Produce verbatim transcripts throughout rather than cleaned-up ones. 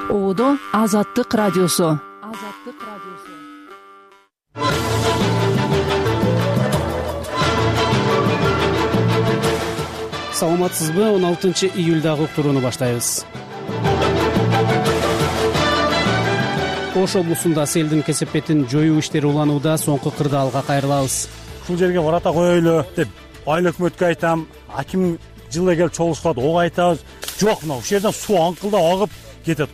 Оодо Азаттык радиосу. Азаттык радиосу. Саламатсызбы? он алтынчы июлдагы уктурууну баштайбыз. Ош облусунда селдин кесепетин жоюу иштери уланууда. Соңку кырдаалга кайрылабыз. Ушул жерге барата коелу деп айыл өкмөткө айтам, аким жылы келип чогулушкат, ого айтабыз. Жок, мына ушул жерден суу аңкылдап агып кетет.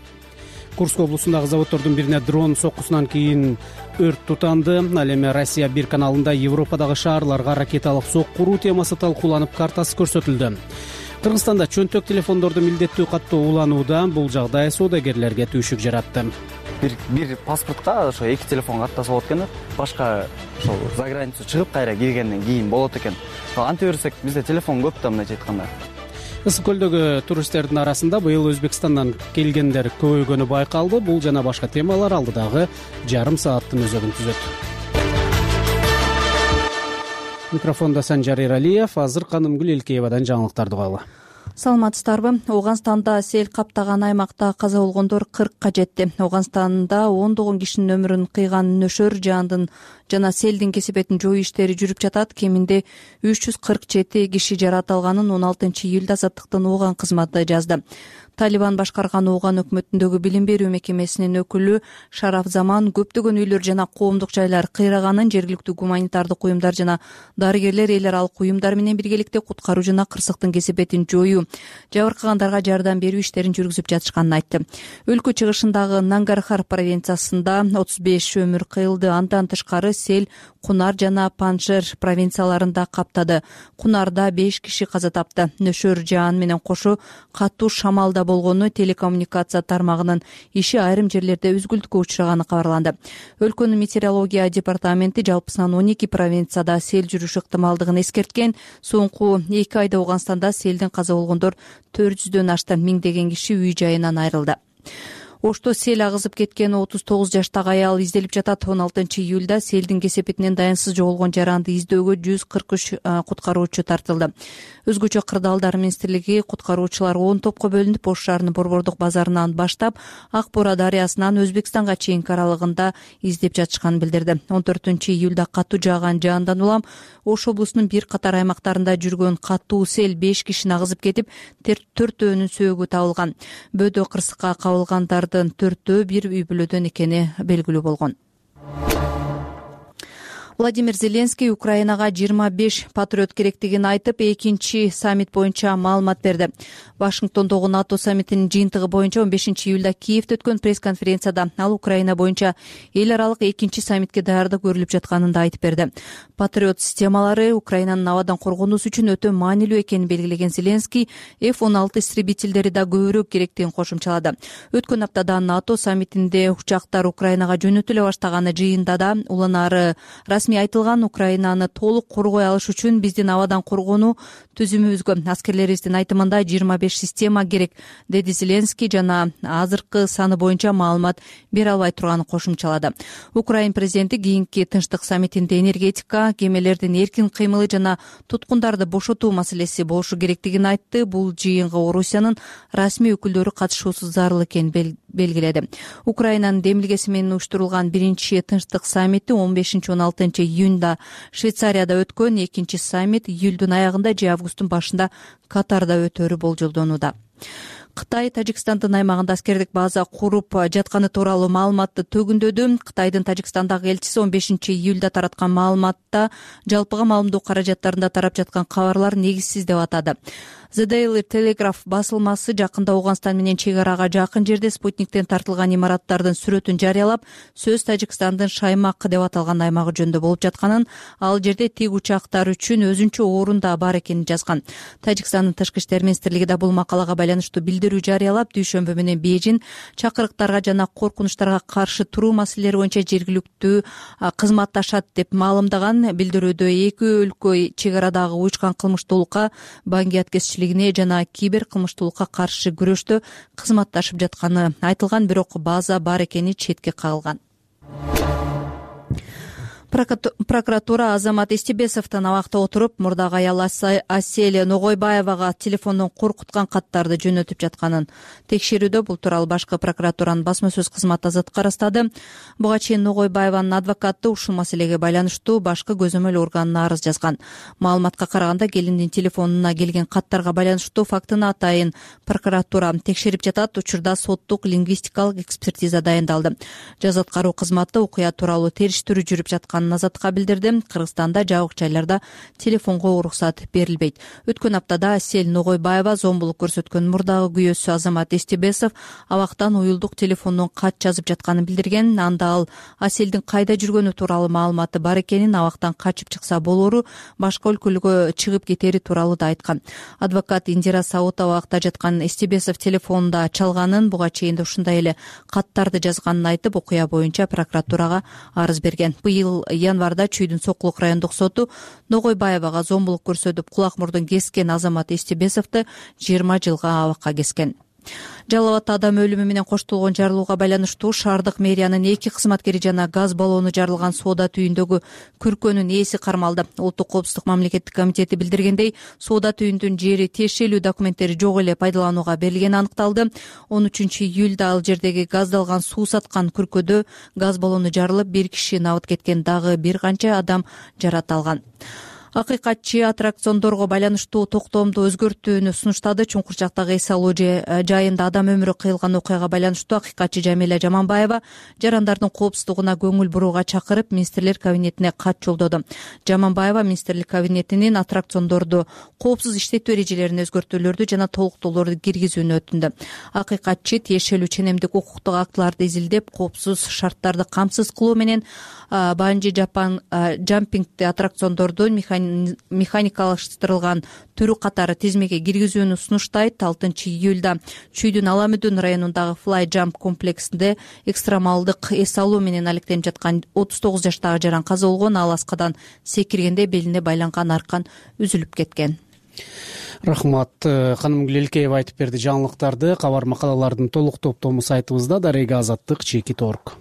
Курск облусундагы заводдордун бирине дрон соккусунан кийин өрт тутанды. Ал эми Россия бир каналында Европадагы шаарларга ракеталык сокку уруу темасы талкууланып, картасы көрсөтүлдү. Кыргызстанда чөнтөк телефондорду милдеттүү каттоо уланууда. Бул жагдай соодагерлерге түйшүк жаратты. Бир бир паспортко ошо эки телефон каттаса болот экен. Башка ошол за границу чыгып кайра киргенден кийин болот экен. Анте берсек, бизде телефон көп да, мындайча айтканда. Ысык көлдөгү туристтердин арасында быйыл Өзбекстандан келгендер көбөйгөнү байкалды. Бул жана башка темалар алдыдагы жарым сааттын өзөгүн түзөт. Микрофондо Санжар Эралиев. Азыр Канымгүл Элкеевадан жаңылыктарды угалы. Саламатсыздарбы? Ооганстанда сел каптаган аймакта каза болгондор кыркка жетти. Ооганстанда ондогон кишинин өмүрүн кыйган нөшөр жаандын жана селдин кесепетин жоюу иштери жүрүп жатат. Кеминде үч жүз кырк жети киши жаракат алганын он алтынчы июлда Азаттыктын Ооган кызматы жазды. Талибан башкарган Ооган өкмөтүндөгү билим берүү мекемесинин өкүлү Шараф Заман көптөгөн үйлөр жана коомдук жайлар кыйраганын, жергиликтүү гуманитардык уюмдар жана дарыгерлер эл аралык уюмдар менен биргеликте куткаруу жана кырсыктын кесепетин жоюу, жабыркагандарга жардам берүү иштерин жүргүзүп жатышканын айтты. Өлкө чыгышындагы Нангархар провинциясында отуз беш өмүр кыйылды. Андан тышкары сел Кунар жана Панжшер провинцияларында каптады. Кунарда беш киши каза тапты. Нөшөр жаан менен кошо катуу шамалда болгону, телекоммуникация тармагынын иши айрым жерлерде үзгүлтүккө учураганы кабарланды. Өлкөнүн метеорология департаменти жалпысынан он эки провинцияда сел жүрүшү ыктымалдыгын эскерткен. Соңку эки айда Ооганстанда селдин каза болгондор төрт жүздөн ашты. Миңдеген киши үй жайынан айрылды. Ошто сел агызып кеткен отуз тогуз жаштагы аял изделип жатат. он алтынчы июлда селдин кесепетинен даянсыз жоголгон жаранды издөөгө жүз кырк үч куткаруучу тартылды. Өзгөчө кырдаалдар министрлиги куткаруучулар он топко бөлүнүп, Ош шаарынын Борбордук базарынан баштап Ак Бура дарыясынан Өзбекстанга чейинки аралыгында издеп жатышканын билдирди. он төртүнчү июлда катуу жааган жаандан улам Ош облусунун бир катар аймактарында жүргөн катуу сел беш кишини агызып кетип, төртөөнүн сөөгү табылган. Бөөдө кырсыкка кабылгандардын төртөө бир үй бүлөдөн экени белгилүү болгон. Владимир Зеленский Украинага жыйырма беш патриот керектигин айтып, экинчи саммит боюнча маалымат берди. Вашингтондогу НАТО саммитинин жыйынтыгы боюнча он бешинчи июлда Киевде өткөн пресс-конференцияда ал Украина боюнча эл аралык экинчи саммитке даярдык көрүлүп жатканын да айтып берди. Патриот системалары Украинанын абадан коргонуусу үчүн өтө маанилүү экенин белгилеген Зеленский эф он алты истребительдери да көбүрөөк керектигин кошумчалады. Өткөн аптада НАТО саммитинде учактар Украинага жөнөтүлө баштаганы жыйында да уланары расмий айтылган. Украинаны толук коргой алыш үчүн биздин абадан коргонуу түзүмүбүзгө аскерлерибиздин айтымында жыйырма беш система керек, деди Зеленский жана азыркы саны боюнча маалымат бере албай турганын кошумчалады. Украин президенти кийинки тынчтык саммитинде энергетика, кемелердин эркин кыймылы жана туткундарды бошотуу маселеси болушу керектигин айтты. Бул жыйынга Орусиянын расмий өкүлдөрү катышуусу зарыл экенин белгиледи. Украинанын демилгеси менен уюштурулган биринчи тынчтык саммити он бешинчи он алтынчы июнда Швейцарияда өткөн, экинчи саммит июлдун аягында же августтун башында Катарда өтөрү болжолдонууда. Кытай Тажикстандын аймагында аскердик база куруп жатканы тууралуу маалыматты төгүндөдү. Кытайдын Тажикстандагы элчиси он бешинчи июлда тараткан маалыматта жалпыга маалымдоо каражаттарында тарап жаткан кабарлар негизсиз деп атады. The Daily Telegraph басылмасы жакында Ооганстан менен чек арага жакын жерде спутниктен тартылган имараттардын сүрөтүн жарыялап, сөз Тажикстандын Шаймак деп аталган аймагы жөнүндө болуп жатканын, ал жерде тик учактар үчүн өзүнчө орун да бар экенин жазган. Тажикстандын тышкы иштер министрлиги да бул макалага байланыштуу билдирүү жарыялап, дүйшөмбү менен Бейжин чакырыктарга жана коркунучтарга каршы туруу маселелери боюнча жергиликтүү кызматташат деп маалымдаган. Билдирүүдө эки өлкө чек арадагы уючкан кылмыштуулукка, баңгият кесичилигине жана кибер кылмыштуулукка каршы күрөштө кызматташып жатканы айтылган, бирок база бар экени четке кагылган. Прокуратура Азамат Эстебесовдон абакта отуруп, мурдагы аял Асель Ногойбаевага телефондон коркуткан каттарды жөнөтүп жатканын текшерүүдө. Бул тууралуу башкы прокуратуранын басма сөз кызматы азаттыкка ырастады. Буга чейин Ногойбаеванын адвокаты ушул маселеге байланыштуу башкы көзөмөл органына арыз жазган. Маалыматка караганда, келиндин телефонуна келген каттарга байланыштуу фактыны атайын прокуратура текшерип жатат. Учурда соттук лингвистикалык экспертиза дайындалды. Жаза аткаруу кызматы окуя тууралуу териштирүү жүрүп жаткан азаттыкка билдирди. Кыргызстанда жабык жайларда телефонго уруксат берилбейт. Өткөн аптада Асель Ногойбаева зомбулук көрсөткөн мурдагы күйөөсү Азамат Эстебесов абактан уюлдук телефондон кат жазып жатканын билдирген. Анда ал Аселдин кайда жүргөнү тууралуу маалыматы бар экенин, абактан качып чыкса болору, башка өлкөлүккө чыгып кетери тууралуу да айткан. Адвокат Индира Саутова абакта жаткан Эстебесов телефонунда чалганын, буга чейин ушундай эле каттарды жазганын айтып, окуя боюнча прокуратурага арыз берген. Быйыл январда Чүйдүн Сокулук райондук соту Ногойбаевага зомбулук көрсөтүп кулак мурдун кескен Азамат Эстебесовду жыйырма жылга абакка кескен. Жалал Абадта адам өлүмү менен коштолгон жарылууга байланыштуу шаардык мэриянын эки кызматкери жана газ баллону жарылган соода түйүндөгү күркөнүн ээси кармалды. Улуттук коопсуздук мамлекеттик комитети билдиргендей, соода түйүндүн жери тиешелүү документтери жок эле пайдаланууга берилгени аныкталды. он үчүнчү июлда ал жердеги газдалган суу саткан күркөдө газ баллону жарылып, бир киши набыт кеткен, дагы бир канча адам жарат алган. Акыйкатчы аттракциондорго байланыштуу токтоомду өзгөртүүнү сунуштады. Чуңкурчактагы эс алуу жайында адам өмүрү кыйылган окуяга байланыштуу акыйкатчы Жамиля Жаманбаева жарандардын коопсуздугуна көңүл бурууга чакырып, министрлер кабинетине кат жолдоду. Жаманбаева министрлик кабинетинин аттракциондорду коопсуз иштетүү эрежелерине өзгөртүүлөрдү жана толуктоолорду киргизүүнү өтүндү. Акыйкатчы тиешелүү ченемдик укуктук актыларды изилдеп, коопсуз шарттарды камсыз кылуу менен банжи жапан жампингти аттракциондордун механикалаштырылган түрү катары тизмеге киргизүүнү сунуштайт. алтынчы июлда Чүйдүн Аламүдүн районундагы Fly Jump комплексинде экстремалдык эс алуу менен алектенип жаткан отуз тогуз жаштагы жаран каза болгон. Ал аскадан секиргенде белине байланган аркан үзүлүп кеткен. Рахмат. Ханым Гүлелкеева айтып берди жаңылыктарды. Кабар макалалардын толук топтому сайтыбызда. Дарега Азаттык чеки торг.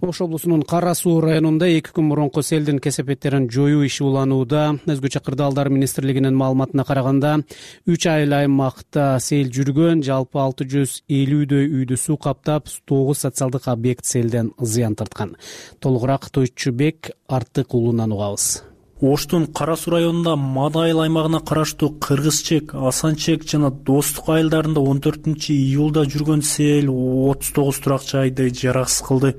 Ош облусунун Кара Суу районунда эки күн мурунку селдин кесепеттерин жоюу иши уланууда. Өзгөчө кырдаалдар министрлигинин маалыматына караганда, үч айыл аймакта сел жүргөн, жалпы алты жүз элүүдөй үйдү суу каптап, тогуз социалдык объект селден зыян тарткан. Толугураак Тойчубек Артык уулунан угабыз. Оштун Кара Суу районунда Мада айыл аймагына караштуу Кыргызчек, Асанчек жана Достук айылдарында он төртүнчү июлда жүргөн сел отуз тогуз турак жайды жараксыз кылды.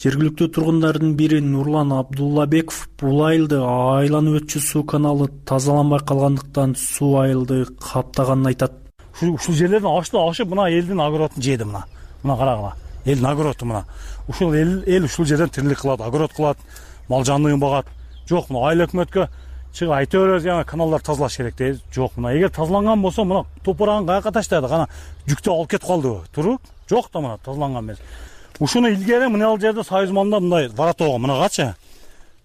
Жергиликтүү тургундардын бири Нурлан Абдуллабеков бул айылды айланып өтчү суу каналы тазаланбай калгандыктан суу айылды каптаганын айтат. Ушул жерлерден ашты ашып, мына элдин огородун жеди мына. Мына карагыла. Элдин огороду мына. Ушул эл эл ушул жерден тирилик кылат, огород кылат, мал жанлыгын багат. Жок, мына айыл өкмөткө чыгып айта беребиз, яна каналдар тазалаш керек дейбиз. Жок, мына эгер тазаланган болсо, мына топурагын каяка таштады, кана жүктү алып кетип калды. Туруп, жок да мына тазаланган эмес. Ушуну илгери мына ал жерде Союз мамда мындай воротого мынагачы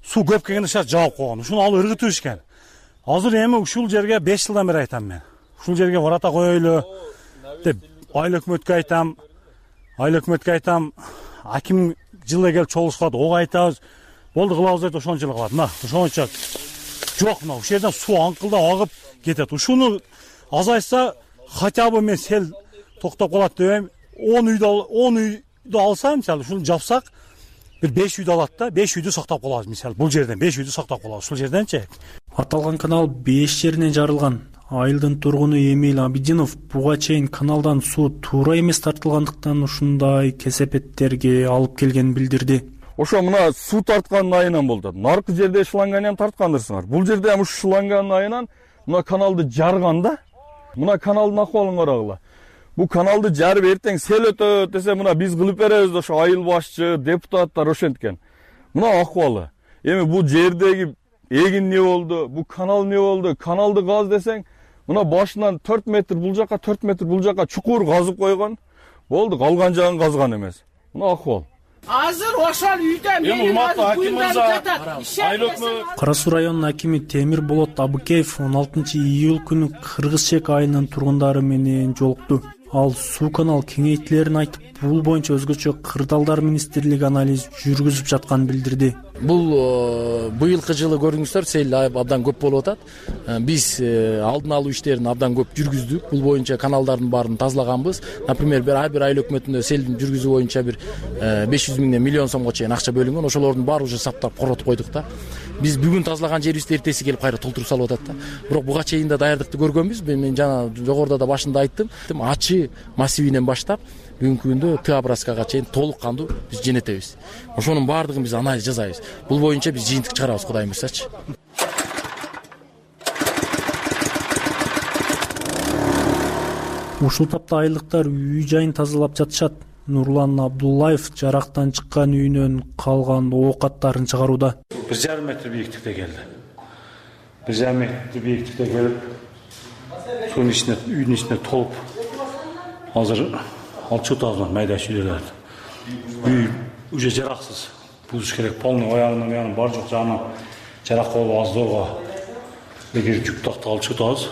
суу көп келгенде шарт жаап койгон. Ушуну алып ыргытып ишкен. Азыр эми ушул жерге беш жылдан бери айтам мен. Ушул жерге ворота коелу деп айыл өкмөткө айтам. Айыл өкмөткө айтам. Аким жылы келип чогулушкат, ого айтабыз. Болду кылабыз деп ошончо жылы кылат. Мына ошончо жок, мына ушул жерден суу аңкылдап агып кетет. Ушуну азайса хотя бы мен сел токтоп калат дебейм. он үйдө он үй алса, мисалы, ушуну жапсак, бир беш үйдү алат да, беш үйдү сактап калабыз, мисалы, бул жерден беш үйдү сактап калабыз, ушул жерденчи. Аталган канал беш жеринен жарылган. Айылдын тургуну Эмил Абидинов буга чейин каналдан суу туура эмес тартылгандыктан ушундай кесепеттерге алып келгенин билдирди. Ошо мына суу тарткан айынан болду. Наркы жерде шланганы ham тарткандырсыңар. Бул жерде ham ушу шланган айынан мына каналды жарган да. Мына каналдын акыбалын карагыла. Бу каналды жарып эртең сел өтөт десе, мына биз кылып беребиз, ошо айыл башчы, депутаттар ошенткен. Мына акыбалы. Эми бул жердеги эгин не болду, бу канал не болду? Каналды газ десең, мына башынан төрт метр бул жака, төрт метр бул жака чукур казып койгон. Болду, калган жагын казган эмес. Мына акыбал. Азыр ошол үйдө мен Кара Суу районунун акими Темир Болот Абыкеев он алтынчы июль күнү Кыргызчек айылынын тургундары менен жолукту. Ал суу канал кеңейтилерин айтып, бул боюнча өзгөчө кырдаалдар министрлиги анализ жүргүзүп жатканын билдирди. Бул быйылкы жылы көрдүңүздөр, сел абдан көп болуп атат. Биз алдын алуу иштерин абдан көп жүргүздүк. Бул боюнча каналдардын баарын тазалаганбыз. Например, бир ай бир айыл өкмөтүндө селдин жүргүзүү боюнча бир беш жүз миңден миллион сомго чейин акча бөлүнгөн. Ошолордун баары уже саптап коротуп койдук да. Биз бүгүн тазалаган жерибизди эртеси келип кайра толтуруп салып атат да. Бирок буга чейин да даярдыкты көргөнбүз. Мен жана жогоруда да башында айттым. Ачы массивинен баштап бүгүнкү күндө Т образкага чейин толук кандуу биз жөнөтөбүз. Ошонун баардыгын биз анализ жасайбыз. Бул боюнча биз жыйынтык чыгарабыз, Кудай буйрсачы. Ушул тапта айылдыктар үй жайын тазалап жатышат. Нурлан Абдуллаев жарактан чыккан үйүнөн калган оокаттарын чыгарууда. бир жарым метр бийиктикте келди. бир жарым метр бийиктикте келип, сунун ичине, үйдүн ичине толуп, азыр алып чыгып атат майда үйлөрдү. Үй уже жараксыз. Бузуш керек, полный аягынан буягынан бар жок жагынан жарак болуп аздоого эгер жүк такты алып чыгып атабыз.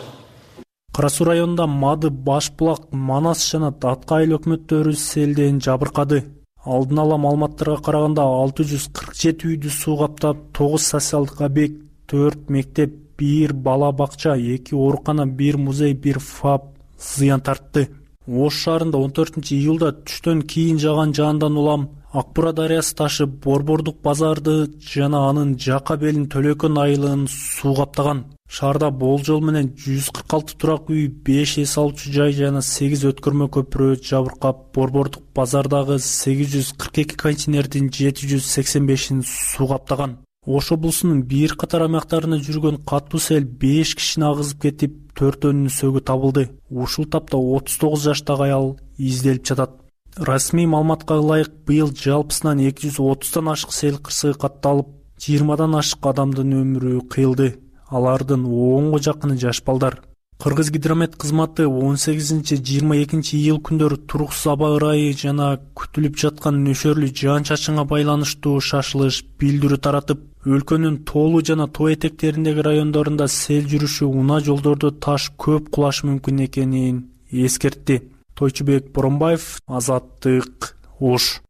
Кара Суу районунда Мады, Башбулак, Манас жана Атка айыл өкмөттөрү селден жабыркады. Алдын ала маалыматтарга караганда алты жүз кырк жети үйдү суу каптап, тогуз социалдык объект, төрт мектеп, бир бала бакча, эки оорукана, бир музей, бир ФАП зыян тартты. Ош шаарында он төртүнчү июлда түштөн кийин жааган жаандан улам Ак Бура дарыясы ташып, Борбордук базарды жана анын жака белин Төлөкөн айылын суу каптаган. Шаарда болжол менен жүз кырк алты турак үй, беш эс алуучу жай жана сегиз өткөрмө көпүрө жабыркап, Борбордук базардагы сегиз жүз кырк эки контейнердин жети жүз сексен бешин суу каптаган. Ош облусунун бир катар аймактарына жүргөн катуу сел беш кишини агызып кетип, төртөөнүнүн сөөгү табылды. Ушул тапта отуз тогуз жаштагы аял изделип жатат. Расмий маалыматка ылайык, быйыл жалпысынан эки жүз отуздан ашык сел кырсыгы катталып, жыйырмадан ашык адамдын өмүрү кыйылды. Алардын онго жакыны жаш балдар. Кыргыз гидромет кызматы он сегизинчи жыйырма экинчи июл күндөрү туруксуз аба ырайы жана күтүлүп жаткан нөшөрлүү жаан-чачынга байланыштуу шашылыш билдирүү таратып, өлкөнүн тоолуу жана тоо этектериндеги райондорунда сел жүрүшү, унаа жолдордо таш көп кулашы мүмкүн экенин эскертти. Тойчубек Боронбаев, Азаттык, Ош.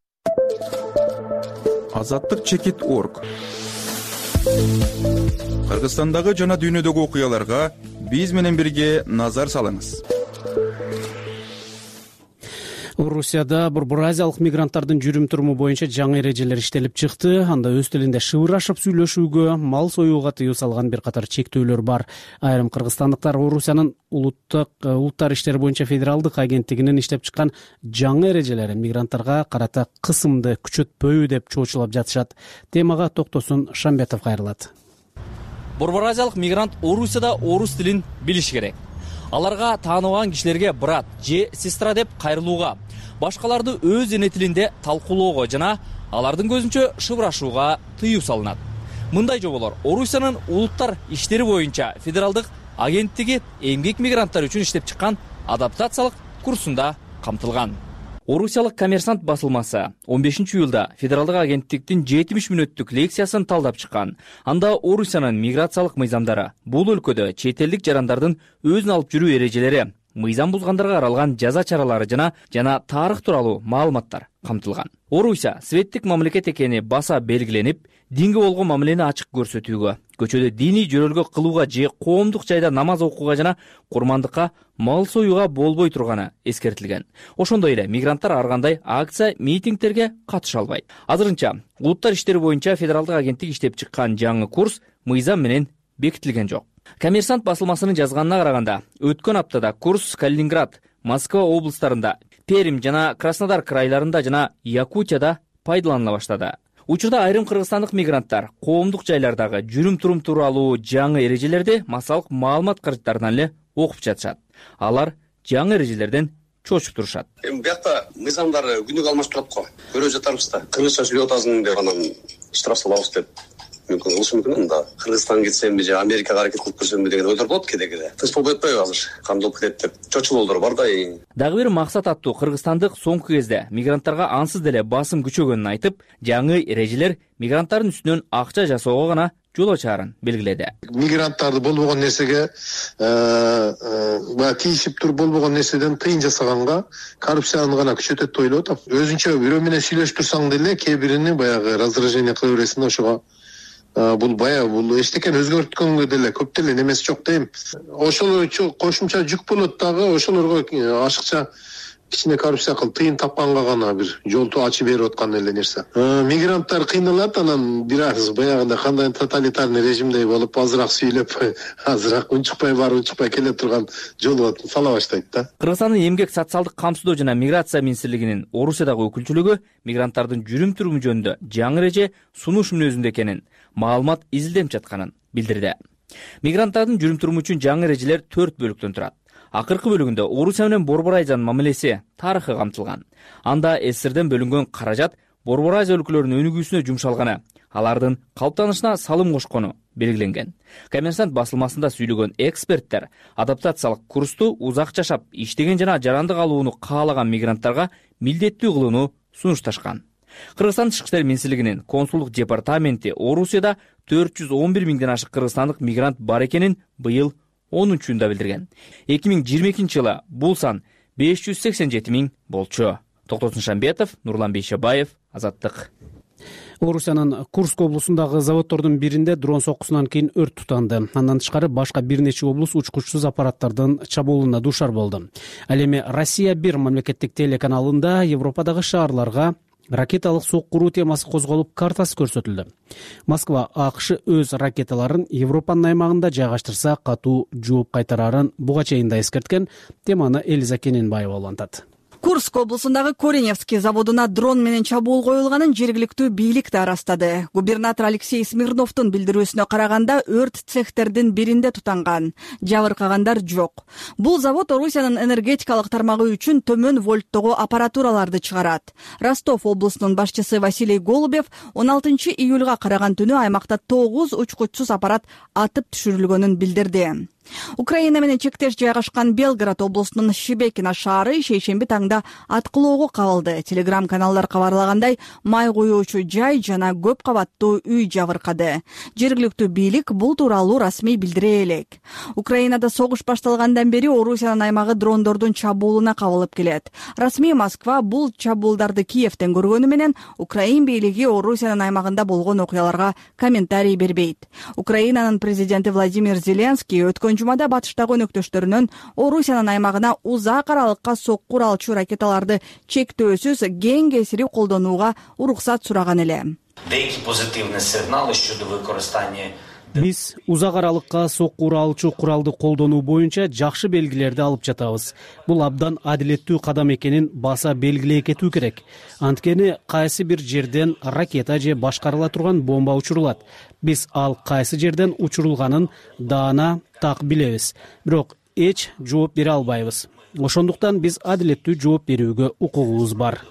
Азаттык чекит точка орг. Кыргызстандагы жана дүйнөдөгү окуяларга биз менен бирге назар салыңыз. Орусияда бурбуразиялык мигранттардын жүрүм-туруму боюнча жаңы эрежелер иштелип чыкты. Анда өз тилинде шыбырашып сүйлөшүүгө, мал союуга тыюу салган бир катар чектөөлөр бар. Айрым кыргызстандыктар Орусиянын улуттук улуттар иштери боюнча федералдык агенттигинин иштеп чыккан жаңы эрежелери мигранттарга карата кысымды күчөтпөйбү деп чоочулап жатышат. Темага Токтосун Шамбетов кайрылат. Бурбуразиялык мигрант Орусияда орус тилин билиш керек. Аларга тааныбаган кишилерге брат же сестра деп кайрылууга, башкаларды өз эне тилинде талкуулоого жана алардын көзүнчө шыбырашууга тыюу салынат. Мындай жоболор Орусиянын улуттар иштери боюнча федералдык агенттиги эмгек мигранттар үчүн иштеп чыккан адаптациялык курсунда камтылган. Орусиялык Коммерсант басылмасы он бешинчи июлда федералдык агенттиктин жетимиш мүнөттүк лекциясын талдап чыккан. Анда Орусиянын миграциялык мыйзамдары, бул өлкөдө чет элдик жарандардын өзүн алып жүрүү эрежелери, мыйзам бузгандарга каралган жаза чаралары жана жана тарых тууралуу маалыматтар камтылган. Орусия светтик мамлекет экени баса белгиленип, динге болгон мамилени ачык көрсөтүүгө, көчөдө диний жөрөлгө кылууга же коомдук жайда намаз окууга жана курмандыкка, мал союуга болбой турганы эскертилген. Ошондой эле мигранттар ар кандай акция, митингтерге катыша албайт. Азырынча улуттар иштери боюнча федералдык агенттик иштеп чыккан жаңы курс мыйзам менен бекитилген жок. Коммерсант басылмасынын жазганына караганда, өткөн аптада курс Калининград, Москва облустарында, Пермь жана Краснодар крайларында жана Якутияда пайдаланыла баштады. Учурда айрым кыргызстандык мигранттар коомдук жайлардагы жүрүм-турум тууралуу жаңы эрежелерди массалык маалымат каражаттарынан эле окуп жатышат. Алар жаңы эрежелерден чочуп турушат. Эми биякта мыйзамдар күнүгө алмашып турат го. Көрүп жатарбыз да. Кыргызча сүйлөп атасың деп анан штраф салабыз деп. Мүмкүн кылышы мүмкүн анда. Кыргызстанга кетсемби же Америкага аракет кылып көрсөмбү деген ойдор болот кеде-кеде. Тынч болбой атпайбы азыр? Кандай болуп кетет деп чочулоолор бар да. Дагы бир максат аттуу кыргызстандык соңку кезде мигранттарга ансыз деле басым күчөгөнүн айтып, жаңы эрежелер мигранттардын үстүнөн акча жасоого гана жол ачаарын белгиледи. Мигранттарды болбогон нерсеге баягы тийишип туруп болбогон нерседен тыйын жасаганга коррупцияны гана күчөтөт деп ойлоп атам. Өзүнчө бирөө менен сүйлөшүп турсаң деле кээ бирини баягы раздражение кыла бересиң да, ошого бул баягы бул эчтекени өзгөрткөнгө деле көп деле немеси жок дейм. Ошол кошумча жүк болот дагы, ошолорго ашыкча кичине коррупция кылып тыйын тапканга гана бир жолду ачып берип аткан эле нерсе. Мигранттар кыйналат, анан бир аз баягындай кандай тоталитарный режимдей болуп азыраак сүйлөп, азыраак унчукпай барып унчукпай келе турган жолго сала баштайт да. Кыргызстандын эмгек социалдык камсыздоо жана миграция министрлигинин Орусиядагы өкүлчүлүгү мигранттардын жүрүм туруму жөнүндө жаңы эреже сунуш мүнөзүндө экенин, маалымат изилденип жатканын билдирди. Мигранттардын жүрүм туруму үчүн жаңы эрежелер төрт бөлүктөн турат. Акыркы бөлүгүндө Орусия менен Борбор Азиянын мамилеси тарыхы камтылган. Анда СССРден бөлүнгөн каражат Борбор Азия өлкөлөрүнүн өнүгүүсүнө жумшалганы, алардын калыптанышына салым кошкону белгиленген. Коммерсант басылмасында сүйлөгөн эксперттер адаптациялык курсту узак жашап, иштеген жана жарандык алууну каалаган мигранттарга милдеттүү кылууну сунушташкан. Кыргызстан Тышкы иштер министрлигинин консулдук департаменти Орусияда төрт жүз он бир миңден ашык кыргызстандык мигрант бар экенин быйыл онунчу июнда билдирген. эки миң жыйырма экинчи жылы бул сан беш жүз сексен жети миң болчу. Токтосун Шамбетов, Нурлан Бейшебаев, Азаттык. Орусиянын Курск облусундагы заводдордун биринде дрон соккусунан кийин өрт тутанды. Андан тышкары башка бир нече облус учкучсуз аппараттардын чабуулуна дуушар болду. Ал эми Россия бир мамлекеттик телеканалында Европадагы шаарларга ракеталык соккуруу темасы козголуп, картасы көрсөтүлдү. Москва АКШ өз ракеталарын Европанын аймагында жайгаштырса катуу жооп кайтарарын буга чейин да эскерткен. Теманы Элиза Кененбаева улантат. Курск облусундагы Кореневский заводуна дрон менен чабуул коюлганын жергиликтүү бийлик да ырастады. Губернатор Алексей Смирновдун билдирүүсүнө караганда өрт цехтердин биринде тутанган. Жабыркагандар жок. Бул завод Орусиянын энергетикалык тармагы үчүн төмөн вольттогу аппаратураларды чыгарат. Ростов облусунун башчысы Василий Голубев он алтынчы июлга караган түнү аймакта тогуз учкучсуз аппарат атып түшүрүлгөнүн билдирди. Украина менен чектеш жайгашкан Белгород облусунун Шебекино шаары шейшемби таңда аткылоого кабылды. Телеграм-каналдар кабарлагандай, май куюучу жай жана көп кабаттуу үй жабыркады. Жергиликтүү бийлик бул тууралуу расмий билдире элек. Украинада согуш башталгандан бери Орусиянын аймагы дрондордун чабуулуна кабылып келет. Расмий Москва бул чабуулдарды Киевтен көргөнү менен Украин бийлиги Орусиянын аймагында болгон окуяларга комментарий бербейт. Украинанын президенти Владимир Зеленский өткөн жумада батыштагы өнөктөштөрүнөн Орусиянын аймагына узак аралыкка соккур алчу ракеталарды чектөөсүз кең кесирип колдонууга уруксат сураган эле. Биз узак аралыкка соккур алчу куралды колдонуу боюнча жакшы белгилерди алып жатабыз. Бул абдан адилеттүү кадам экенин баса белгилей кетүү керек. Анткени кайсы бир жерден ракета же башкарыла турган бомба учурулат. Биз ал кайсы жерден учурулганын даана так билебиз. Бирок эч жооп бере албайбыз. Ошондуктан биз адилеттүү жооп берүүгө укугубуз бар.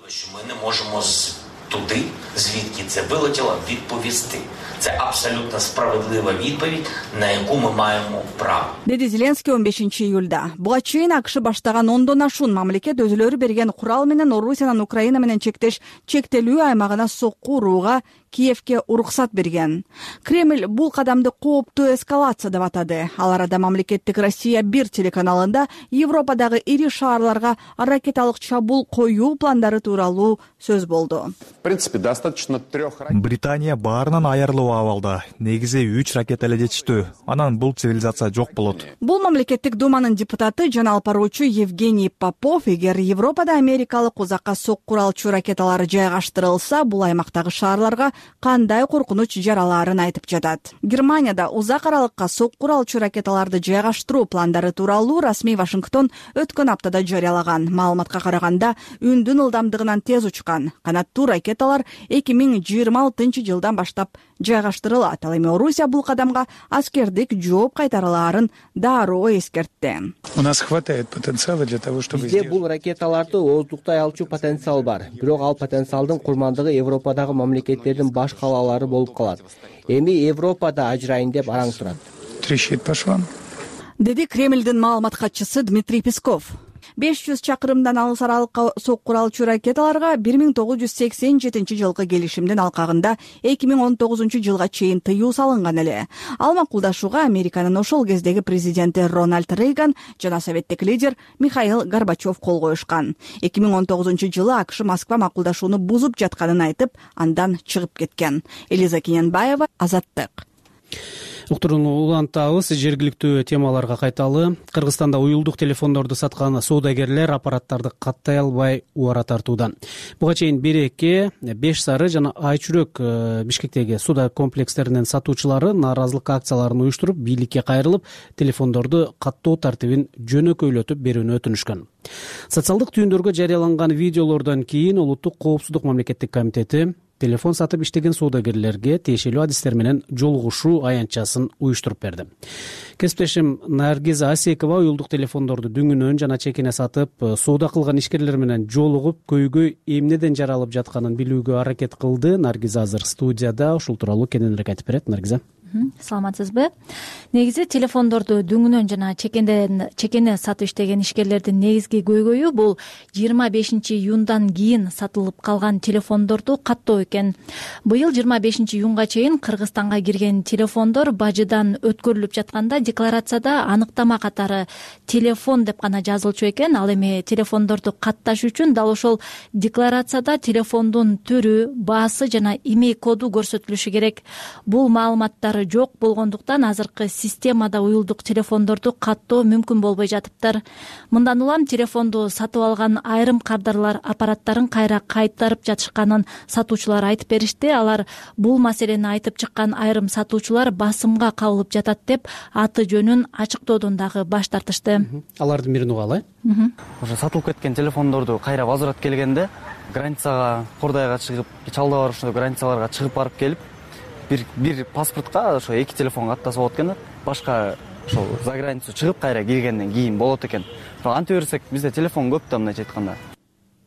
Туди, звідки це вилетіло, відповісти. Це абсолютно справедлива відповідь, на яку ми маємо право. Деди Зеленский он бешинчи июлда. Буга чейин АКШ баштаган ондон ашуун мамлекет өзүлөрү берген курал менен Орусиянын Украина менен чектеш чектелүү аймагына соккурууга Киевке уруксат берген. Кремль бул кадамды кооптуу эскалация деп атады. Ал арада мамлекеттик Россия бир телеканалында Европадагы ири шаарларга ракеталык чабуул коюу пландары тууралуу сөз болду. В принципе, достаточно трех ракет. Британия баарынан аярлуу абалда. Негизи үч ракета эле жетиштүү. Анан бул цивилизация жок болот. Бул мамлекеттик думанын депутаты жана алып баруучу Евгений Попов, эгер Европада америкалык узакка соккур алчу ракеталары жайгаштырылса, бул аймактагы шаарларга кандай коркунуч жаралаарын айтып жатат. Германияда узак аралыкка соккур алчу ракеталарды жайгаштыруу пландары тууралуу расмий Вашингтон өткөн аптада жарыялаган. Маалыматка караганда, үндүн ылдамдыгынан тез учкан канаттуу ракеталар эки миң жыйырма алтынчы жылдан баштап жайгаштырылат. Ал эми Орусия бул кадамга аскердик жооп кайтараларын дароо эскертти. У нас хватает потенциала для того, чтобы Бизде бул ракеталарды ооздуктай алчу потенциал бар. Бирок ал потенциалдын курмандыгы Европадагы мамлекеттердин баш калалары болуп калат. Эми Европада ажырайын деп араң турат. Трещит по швам. Деди Кремльдин маалымат катчысы Дмитрий Песков. беш жүз чакырымдан алыс аралыкка сокку алчу ракеталарга бир миң тогуз жүз сексен жетинчи жылкы келишимдин алкагында эки миң он тогузунчу жылга чейин тыюу салынган эле. Ал макулдашууга Американын ошол кездеги президенти Рональд Рейган жана советтик лидер Михаил Горбачев кол коюшкан. эки миң он тогузунчу жылы АКШ Москва макулдашууну бузуп жатканын айтып, андан чыгып кеткен. Элиза Кененбаева, Азаттык. Уктуруну улантабыз. Жергиликтүү темаларга кайталы. Кыргызстанда уюлдук телефондорду саткан соодагерлер аппараттарды каттай албай убара тартууда. Буга чейин Береке, Беш Сары жана Айчүрөк Бишкектеги соода комплекстеринин сатуучулары нааразылык акцияларын уюштуруп, бийликке кайрылып, телефондорду каттоо тартибин жөнөкөйлөтүп берүүнү өтүнүшкөн. Социалдык түйүндөргө жарыяланган видеолордон кийин Улуттук коопсуздук мамлекеттик комитети телефон сатып иштеген соодагерлерге тиешелүү адистер менен жолугушуу аянтчасын уюштуруп берди. Кесиптешим Наргиза Асекова уюлдук телефондорду дүңүнөн жана чекине сатып, соода кылган ишкерлер менен жолугуп, көйгөй эмнеден жаралып жатканын билүүгө аракет кылды. Наргиза азыр студияда, ушул тууралуу кененирээк айтып берет. Наргиза. Саламатсызбы? Негизи телефондорду дүңүнөн жана чекенден чекене сатып иштеген ишкерлердин негизги көйгөйү бул жыйырма бешинчи июндан кийин сатылып калган телефондорду каттоо экен. Быйыл жыйырма бешинчи июнга чейин Кыргызстанга кирген телефондор бажыдан өткөрүлүп жатканда декларацияда аныктама катары телефон деп гана жазылчу экен. Ал эми телефондорду катташ үчүн дал ошол декларацияда телефондун түрү, баасы жана имей коду көрсөтүлүшү керек. Бул маалыматтар жок болгондуктан азыркы системада уюлдук телефондорду каттоо мүмкүн болбой жатыптыр. Мындан улам телефонду сатып алган айрым кардарлар аппараттарын кайра кайтарып жатышканын сатуучулар айтып беришти. Алар бул маселени айтып чыккан айрым сатуучулар басымга кабылып жатат деп аты жөнүн ачыктоодон дагы баш тартышты. Алардын бирин угалы. Ошо сатылып кеткен телефондорду кайра возврат келгенде границага, Кордайга чыгып, Чалда бар ошондой границаларга чыгып барып келип, бир бир паспортко ошо эки телефон каттасып алат экен. Башка ошо за границу чыгып кайра киргенден кийин болот экен. Антип берсек, бизде телефон көп да, мындайча айтканда.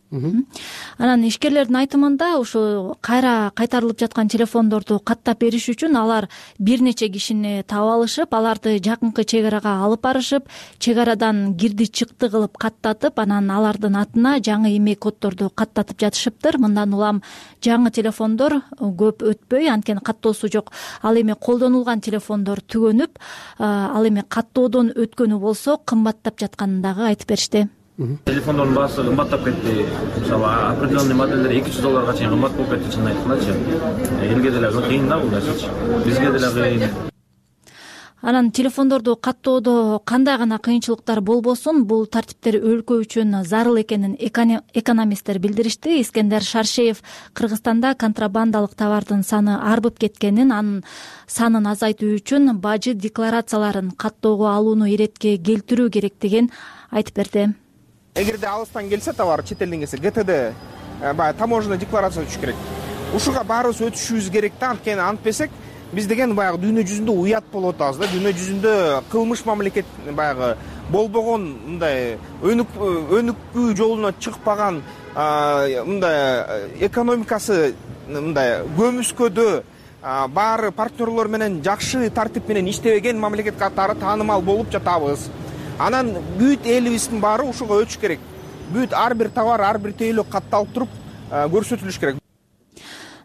Анан ишкерлердин айтымында ушу кайра кайтарылып жаткан телефондорду каттап бериш үчүн алар бир нече кишини таап алышып, аларды жакынкы чек арага алып барышып, чек арадан кирди чыкты кылып каттатып, анан алардын атына жаңы имей коддорду каттатып жатышыптыр. Мындан улам жаңы телефондор көп өтпөй, анткени каттоосу жок. Ал эми колдонулган телефондор түгөнүп, ал эми каттоодон өткөнү болсо кымбаттап жатканын дагы айтып беришти. Телефондордун баасы кымбаттап кетти. Мисалы определенный модельдер эки жүз долларга чейин кымбат болуп кетти, чынын айткандачы. Элге деле кыйын да бул нерсечи. Бизге деле кыйын. Анан телефондорду каттоодо кандай гана кыйынчылыктар болбосун, бул тартиптер өлкө үчүн зарыл экенин экономисттер билдиришти. Искендер Шаршеев Кыргызстанда контрабандалык товардын саны арбып кеткенин, анын санын азайтуу үчүн бажы декларацияларын каттоого алууну иретке келтирүү керектигин айтып берди. Эгерде алыстан келсе товар, чет элден келсе, ГТД баягы таможенный декларация өтүш керек. Ушуга баарыбыз өтүшүбүз керек да, анткени антпесек биз деген баягы дүйнө жүзүндө уят болуп атабыз да. Дүйнө жүзүндө кылмыш мамлекет баягы болбогон, мындай өнүкүү жолуна чыкпаган, мындай экономикасы мындай көмүскөдө баары партнерлор менен жакшы тартип менен иштебеген мамлекет катары таанымал болуп жатабыз. Анан бүт элибиздин баары ушуга өтүш керек. Бүт ар бир товар, ар бир тейлөө катталып туруп көрсөтүлүш керек.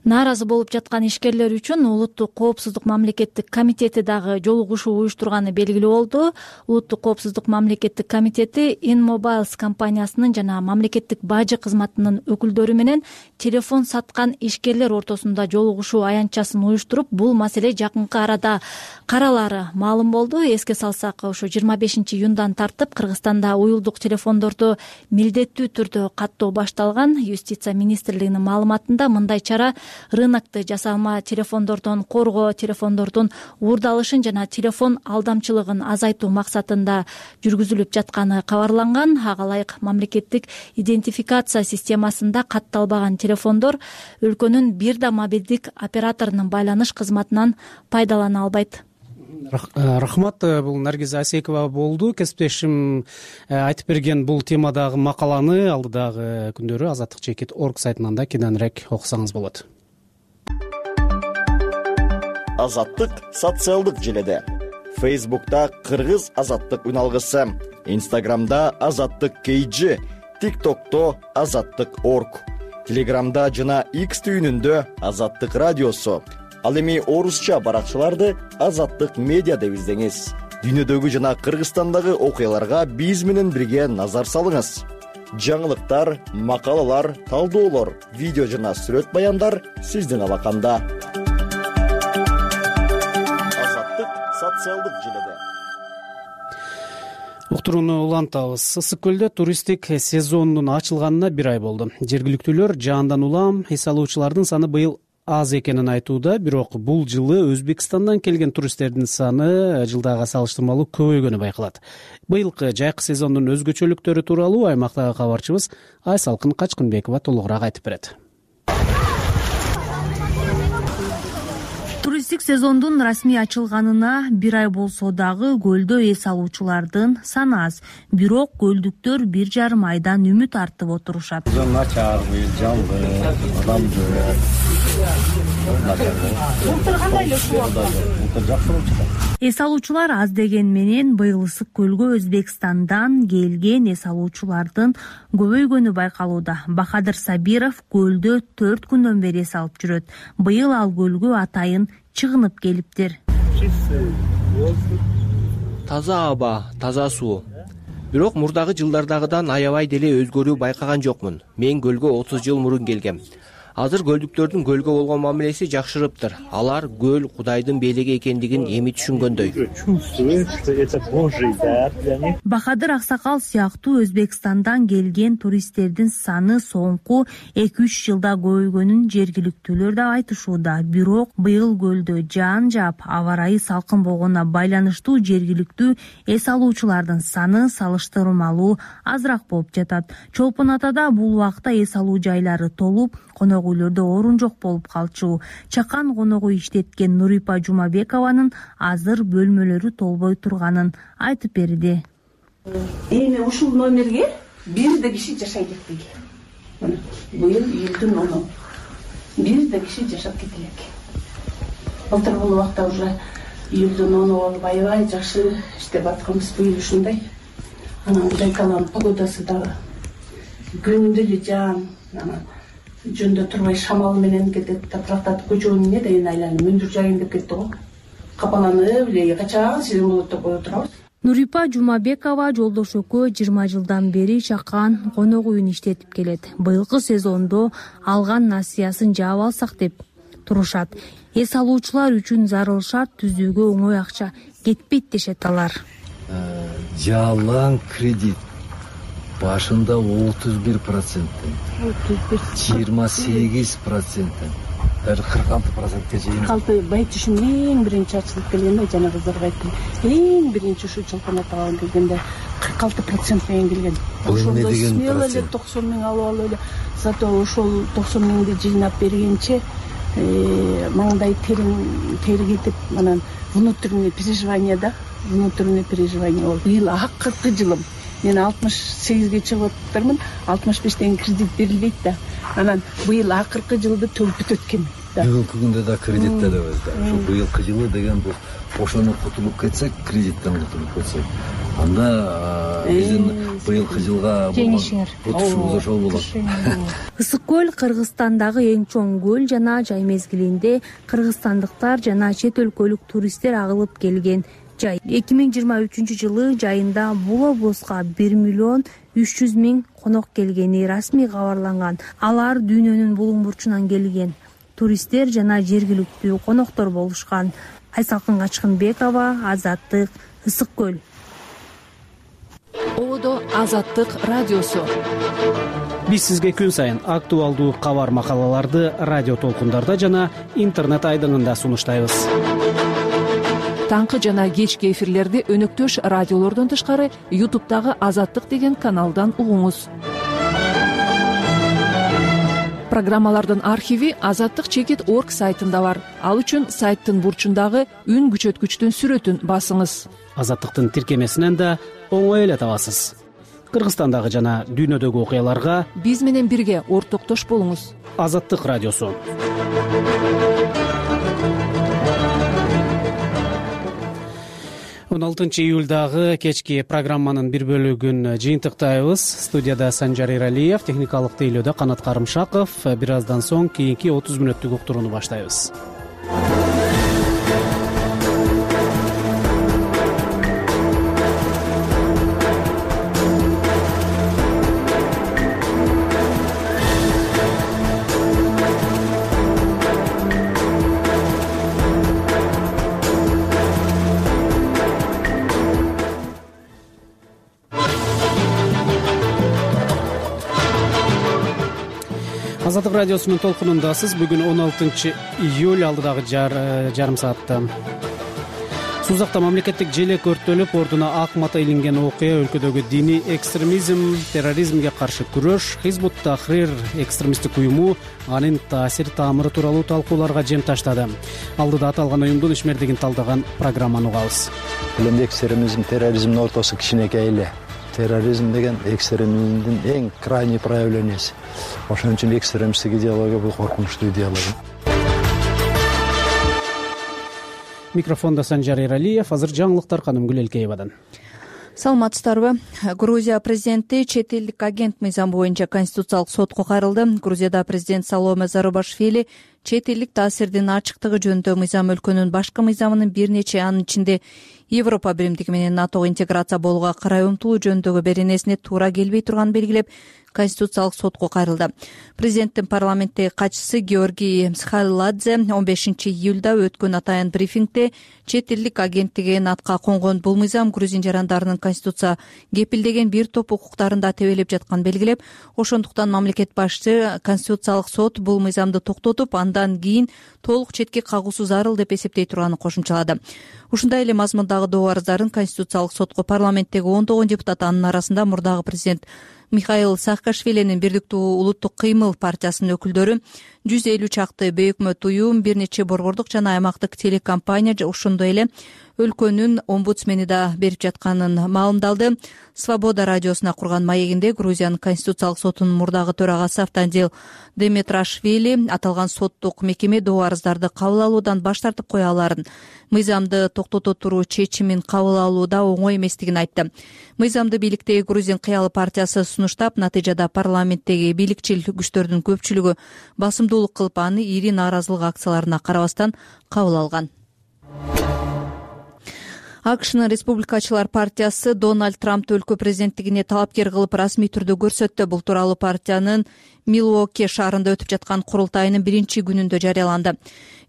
Нааразы болуп жаткан ишкерлер үчүн Улуттук коопсуздук мамлекеттик комитети дагы жолугушуу уюштурганы белгилүү болду. Улуттук коопсуздук мамлекеттик комитети InMobiles компаниясынын жана мамлекеттик бажы кызматынын өкүлдөрү менен телефон саткан ишкерлер ортосунда жолугушуу аянтчасын уюштуруп, бул маселе жакынкы арада каралары маалым болду. Эске салсак, ошо жыйырма бешинчи июндан тартып Кыргызстанда уюлдук телефондорду милдеттүү түрдө каттоо башталган. Юстиция министрлигинин маалыматында мындай чара рынокто жасалма телефондордон коргоо, телефондордун уурдалышын жана телефон алдамчылыгын азайтуу максатында жүргүзүлүп жатканы кабарланган. Ага ылайык мамлекеттик идентификация системасында катталбаган телефондор өлкөнүн бир да мобилдик операторунун байланыш кызматынан пайдалана албайт. Рахмат, бул Наргиза Асекова болду. Кесиптешим айтып берген бул темадагы макаланы алдыдагы күндөрү азаттык чекит точка орг сайтынан да кененирээк окусаңыз болот. Азаттык социалдык желеде. Фейсбукта Кыргыз Азаттык үналгысы, Инстаграмда Азаттык Кейжи, ТикТокто Азаттык Орг, Телеграмда жана X түйүнүндө Азаттык радиосу. Ал эми орусча баракчаларды Азаттык медиа деп издеңиз. Дүйнөдөгү жана Кыргызстандагы окуяларга биз менен бирге назар салыңыз. Жаңылыктар, макалалар, талдоолор, видео жана сүрөт баяндар сиздин алаканда. Азаттык социалдык желеде. Уктурууну улантабыз. Ысык көлдө туристтик сезондун ачылганына бир ай болду. Жергиликтүүлөр жаандан улам эс алуучулардын саны быйыл аз экенин айтууда, бирок бул жылы Өзбекстандан келген туристтердин саны жылдага салыштырмалуу көбөйгөнү байкалат. Быйылкы жайкы сезондун өзгөчөлүктөрү тууралуу аймактагы кабарчыбыз Айсалкын Качкынбекова толугураак айтып берет. Туристтик сезондун расмий ачылганына бир ай болсо дагы көлдө эс алуучулардын саны аз. Бирок көлдүктөр бир жарым айдан үмүт артып отурушат. Начар, жаңгы, адам Бултур кандай эле суу эс алуучулар аз деген менен быйыл Ысык көлгө Өзбекстандан келген эс алуучулардын көбөйгөнү байкалууда. Бахадыр Сабиров көлдө төрт күндөн бери эс алып жүрөт. Быйыл ал көлгө атайын чыгынып келиптир. Таза аба, таза суу. Бирок мурдагы жылдардагыдан аябай деле өзгөрүү байкаган жокмун. Мен көлгө отуз жыл мурун келгем. Азыр көлдүктөрдүн көлгө болгон мамилеси жакшырыптыр. Алар көл Кудайдын белеги экендигин эми түшүнгөндөй. Бахадыр Аксакал сыяктуу Өзбекстандан келген туристтердин саны соңку эки үч жылда көбөйгөнүн жергиликтүүлөр да айтышууда. Бирок быйыл көлдө жаан жаап, аба ырайы салкын болгонуна байланыштуу жергиликтүү эс алуучулардын саны салыштырмалуу азыраак болуп жатат. Чолпон Атада бул убакта эс алуу жайлары толуп, конок үйлөрдө орун жок болуп калчу. Чакан конок үй иштеткен Нурипа Жумабекованын азыр бөлмөлөрү толбой турганын айтып берди. Эми ушул номерге бир да киши жашай кетпеги. Быйыл июлдун оны бир да киши жашап кете элек. Былтыр бул убакта уже июлдун оны болуп аябай жакшы иштеп атканбыз. Быйыл ушундай. Анан Байкалдын погодасы дагы күндү эле жаан, жөндө турбай шамал менен кетет. Тапырактатып көчөнүн эмне деген айланып мөндүр жайын деп кетти го. Капаланып эле качан сезон болот деп кое турабыз. Нурипа Жумабекова жолдош экөө жыйырма жылдан бери Чакан конок үйүн иштетип келет. Быйылкы сезондо алган насыясын жаап алсак деп турушат. Эс алуучулар үчүн зарыл шарт түзүүгө оңой акча кетпейт дешет алар. Жалаң кредит башында отуз бир проценттен, жыйырма сегиз проценттен, кырк алты процентке чейин. Калты байтышым эң биринчи ачылып келгенде жана кыздарга айттым. Эң биринчи ушу Чолпон Атага келгенде кырк алты процент менен келген. Ошондо смело эле токсон миң алып алып эле. Зато ошол токсон миңди жыйнап бергенче маңдай терин тери кетип, анан внутренний переживание да, внутренний переживание болду. Быйыл акыркы жылым. Мен алтымыш сегизге чыгып атырмын, алтымыш бештен кредит берилбейт да. Анан быйыл акыркы жылды төлөп бүтөт экен. Бүгүнкү күндө да кредитте дебиз да. Ошо быйылкы жылы деген бул ошону кутулуп кетсек, кредиттен кутулуп кетсек, анда биздин быйылкы жылга утушубуз ошол болот. Ысык көл Кыргызстандагы эң чоң көл жана жай мезгилинде кыргызстандыктар жана чет өлкөлүк туристтер агылып келген жай. эки миң жыйырма үчүнчү жылы жайында бул облуска бир миллион үч жүз миң конок келгени расмий кабарланган. Алар дүйнөнүн булуң бурчунан келген туристтер жана жергиликтүү коноктор болушкан. Айсалкын Качкынбекова, Азаттык, Ысык көл. Ободо Азаттык радиосу. Биз сизге күн сайын актуалдуу кабар макалаларды радио толкундарда жана интернет айдыңында сунуштайбыз. Таңкы жана кечки эфирлерди өнөктөш радиолордон тышкары ютубтагы Азаттык деген каналдан угуңуз. Программалардын архиви азаттык чекит точка орг сайтында бар. Ал үчүн сайттын бурчундагы үн күчөткүчтүн сүрөтүн басыңыз. Азаттыктын тиркемесинен да оңой эле табасыз. Кыргызстандагы жана дүйнөдөгү окуяларга биз менен бирге ортоктош болуңуз. Азаттык радиосу. он алтынчы июлдагы кечки программанын бир бөлүгүн жыйынтыктайбыз. Студияда Санжар Эралиев, техникалык тейлөөдө Канат Карымшаков. Бир аздан соң кийинки отуз мүнөттүк уктурууну баштайбыз. Азаттык радиосунун толкунундасыз. Бүгүн он алтынчы июль, алдыдагы жарым саатта Сузакта мамлекеттик желек өрттөлүп, ордуна ак мата илинген окуя өлкөдөгү диний экстремизм, терроризмге каршы күрөш, Хизбут Тахрир экстремисттик уюму анын таасир таамыры тууралуу талкууларга жем таштады. Алдыда аталган уюмдун ишмердигин талдаган программаны угабыз. Эле экстремизм, терроризмдин ортосу кичинекей эле. Терроризм деген экстремизмдин эң крайний проявлениясы. Ошон үчүн экстремисттик идеология бул коркунучтуу идеология. Микрофондо Санжар Эралиев. Азыр жаңылыктар Канымгүл Элкеевадан. Саламатсыздарбы? Грузия президенти чет элдик агент мыйзамы боюнча Конституциялык сотко кайрылды. Грузияда президент Саломе Зарубашвили чет элдик таасирдин ачыктыгы жөнүндө мыйзам өлкөнүн башкы мыйзамынын бир нече, анын ичинде Европа биримдиги менен НАТОго интеграция болууга карай умтулуу жөнүндөгү беренесине туура келбей турганын белгилеп, Конституциялык сотко кайрылды. Президенттин парламенттеги катчысы Георгий Мсхаладзе он бешинчи июлда өткөн атайын брифингде чет элдик агенттиги натка конгон бул мыйзам грузин жарандарынын конституция кепилдеген бир топ укуктарында тебелеп жатканын белгилеп, ошондуктан мамлекет башчысы Конституциялык сот бул мыйзамды токтотуп, андан кийин толук четке кагуусу зарыл деп эсептей турганын кошумчалады. Ушундай эле мазмундагы доо арыздарын Конституциялык сотко парламенттеги ондогон депутат, анын арасында мурдагы президент Михаил Саакашвилинин Бирдиктүү улуттук кыймыл партиясынын өкүлдөрү, жүз элүү чакты бейөкмөт уюм, бир нече борбордук жана аймактык телекомпания, ошондой эле өлкөнүн омбудсмени да берип жатканын маалымдалды. Свобода радиосуна курган маегинде Грузиянын Конституциялык сотунун мурдагы төрагасы Автандил Деметрашвили аталган соттук мекеме доо арыздарды кабыл алуудан баш тартып кое аларын, мыйзамды токтото туруу чечимин кабыл алууда оңой эместигин айтты. Мыйзамды бийликтеги Грузин кыялы партиясы сунуштап, натыйжада парламенттеги бийликчил күчтөрдүн көпчүлүгү басымдуулук кылып, аны ири нааразылык акцияларына карабастан кабыл алган. АКШнын Республикачылар партиясы Дональд Трампты өлкө президенттигине талапкер кылып расмий түрдө көрсөттү. Бул тууралуу партиянын Милуоки шаарында өтүп жаткан курултайынын биринчи күнүндө жарыяланды.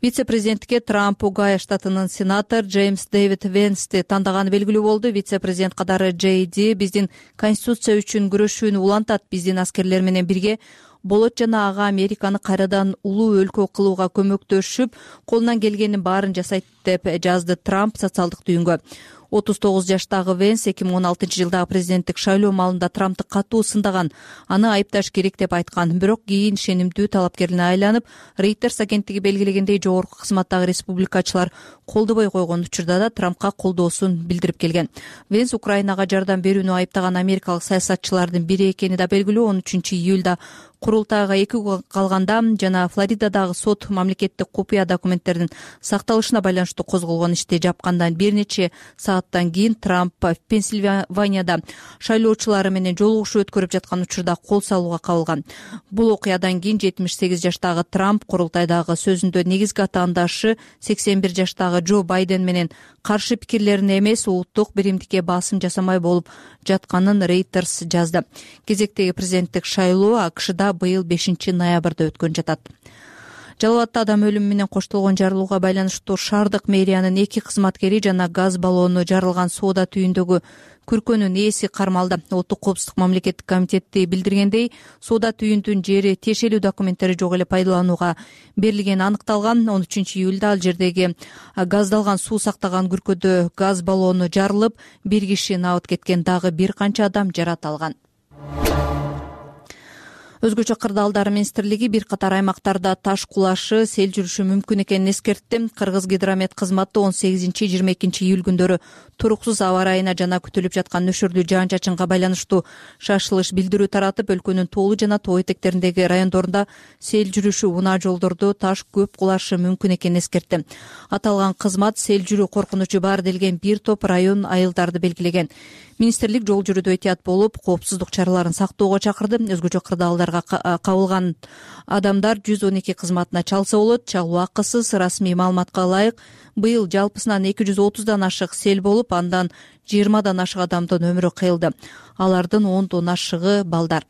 Вице-президентке Трамп Огайо штатынын сенатор Джеймс Дэвид Венсти тандаганы белгилүү болду. Вице-президент катары Джей Ди биздин конституция үчүн күрөшүүнү улантат, биздин аскерлер менен бирге болот жана ага Американы кайрадан улуу өлкө кылууга көмөктөшүп, колунан келгенин баарын жасайт деп жазды Трамп социалдык түйүнгө. отуз тогуз жаштагы Венс эки миң он алтынчы жылдагы президенттик шайлоо маалында Трампты катуу сындаган, аны айыпташ керек деп айткан. Бирок кийин ишенимдүү талапкерине айланып, Reuters агенттиги белгилегендей жогорку кызматтагы республикачылар колдобой койгон учурда да Трампка колдоосун билдирип келген. Венс Украинага жардам берүүнү айыптаган америкалык саясатчылардын бири экени да белгилүү. он үчүнчү июлда курултайга эки күн калганда жана Флоридадагы сот мамлекеттик купуя документтердин сакталышына байланыштуу козголгон ишти жапкандан бир нече сааттан кийин Трамп Пенсильванияда шайлоочулары менен жолугушуу өткөрүп жаткан учурда кол салууга кабылган. Бул окуядан кийин жетимиш сегиз жаштагы Трамп курултайдагы сөзүндө негизги атаандашы сексен бир жаштагы Джо Байден менен каршы пикирлерине эмес, улуттук биримдикке басым жасамай болуп жатканын Reuters жазды. Кезектеги президенттик шайлоо АКШда быйыл бешинчи ноябрда өткөн жатат. Жалал абадта адам өлүмү менен коштолгон жарылууга байланыштуу шаардык мэриянын эки кызматкери жана газ баллону жарылган соода түйүндөгү күркөнүн ээси кармалды. Улуттук коопсуздук мамлекеттик комитети билдиргендей, соода түйүндүн жери тиешелүү документтери жок эле пайдаланууга берилгени аныкталган. он үчүнчү июлда ал жердеги газдалган суу сактаган күркөдө газ баллону жарылып, бир киши набыт кеткен, дагы бир канча адам жарат алган. Өзгөчө кырдаалдар министрлиги бир катар аймактарда таш кулашы, сел жүрүшү мүмкүн экенин эскертти. Кыргыз гидромет кызматы он сегизинчи жыйырма экинчи июль күндөрү туруксуз аба ырайына жана күтүлүп жаткан нөшөрлүү жаан чачынга байланыштуу шашылыш билдирүү таратып, өлкөнүн тоолуу жана тоо этектериндеги райондорунда сел жүрүшү, унаа жолдордо таш көп кулашы мүмкүн экенин эскертти. Аталган кызмат сел жүрүү коркунучу бар делген бир топ район айылдарды белгилеген. Министрлик жол жүрүүдө этият болуп, коопсуздук чараларын сактоого чакырды. Өзгөчө кырдаалдарга кабылган адамдар жүз он эки кызматына чалса болот. Чалуу акысыз. Расмий маалыматка ылайык, быйыл жалпысынан эки жүз отуздан ашык сел болуп, андан жыйырмадан ашык адамдын өмүрү кыйылды. Алардын ондон ашыгы балдар.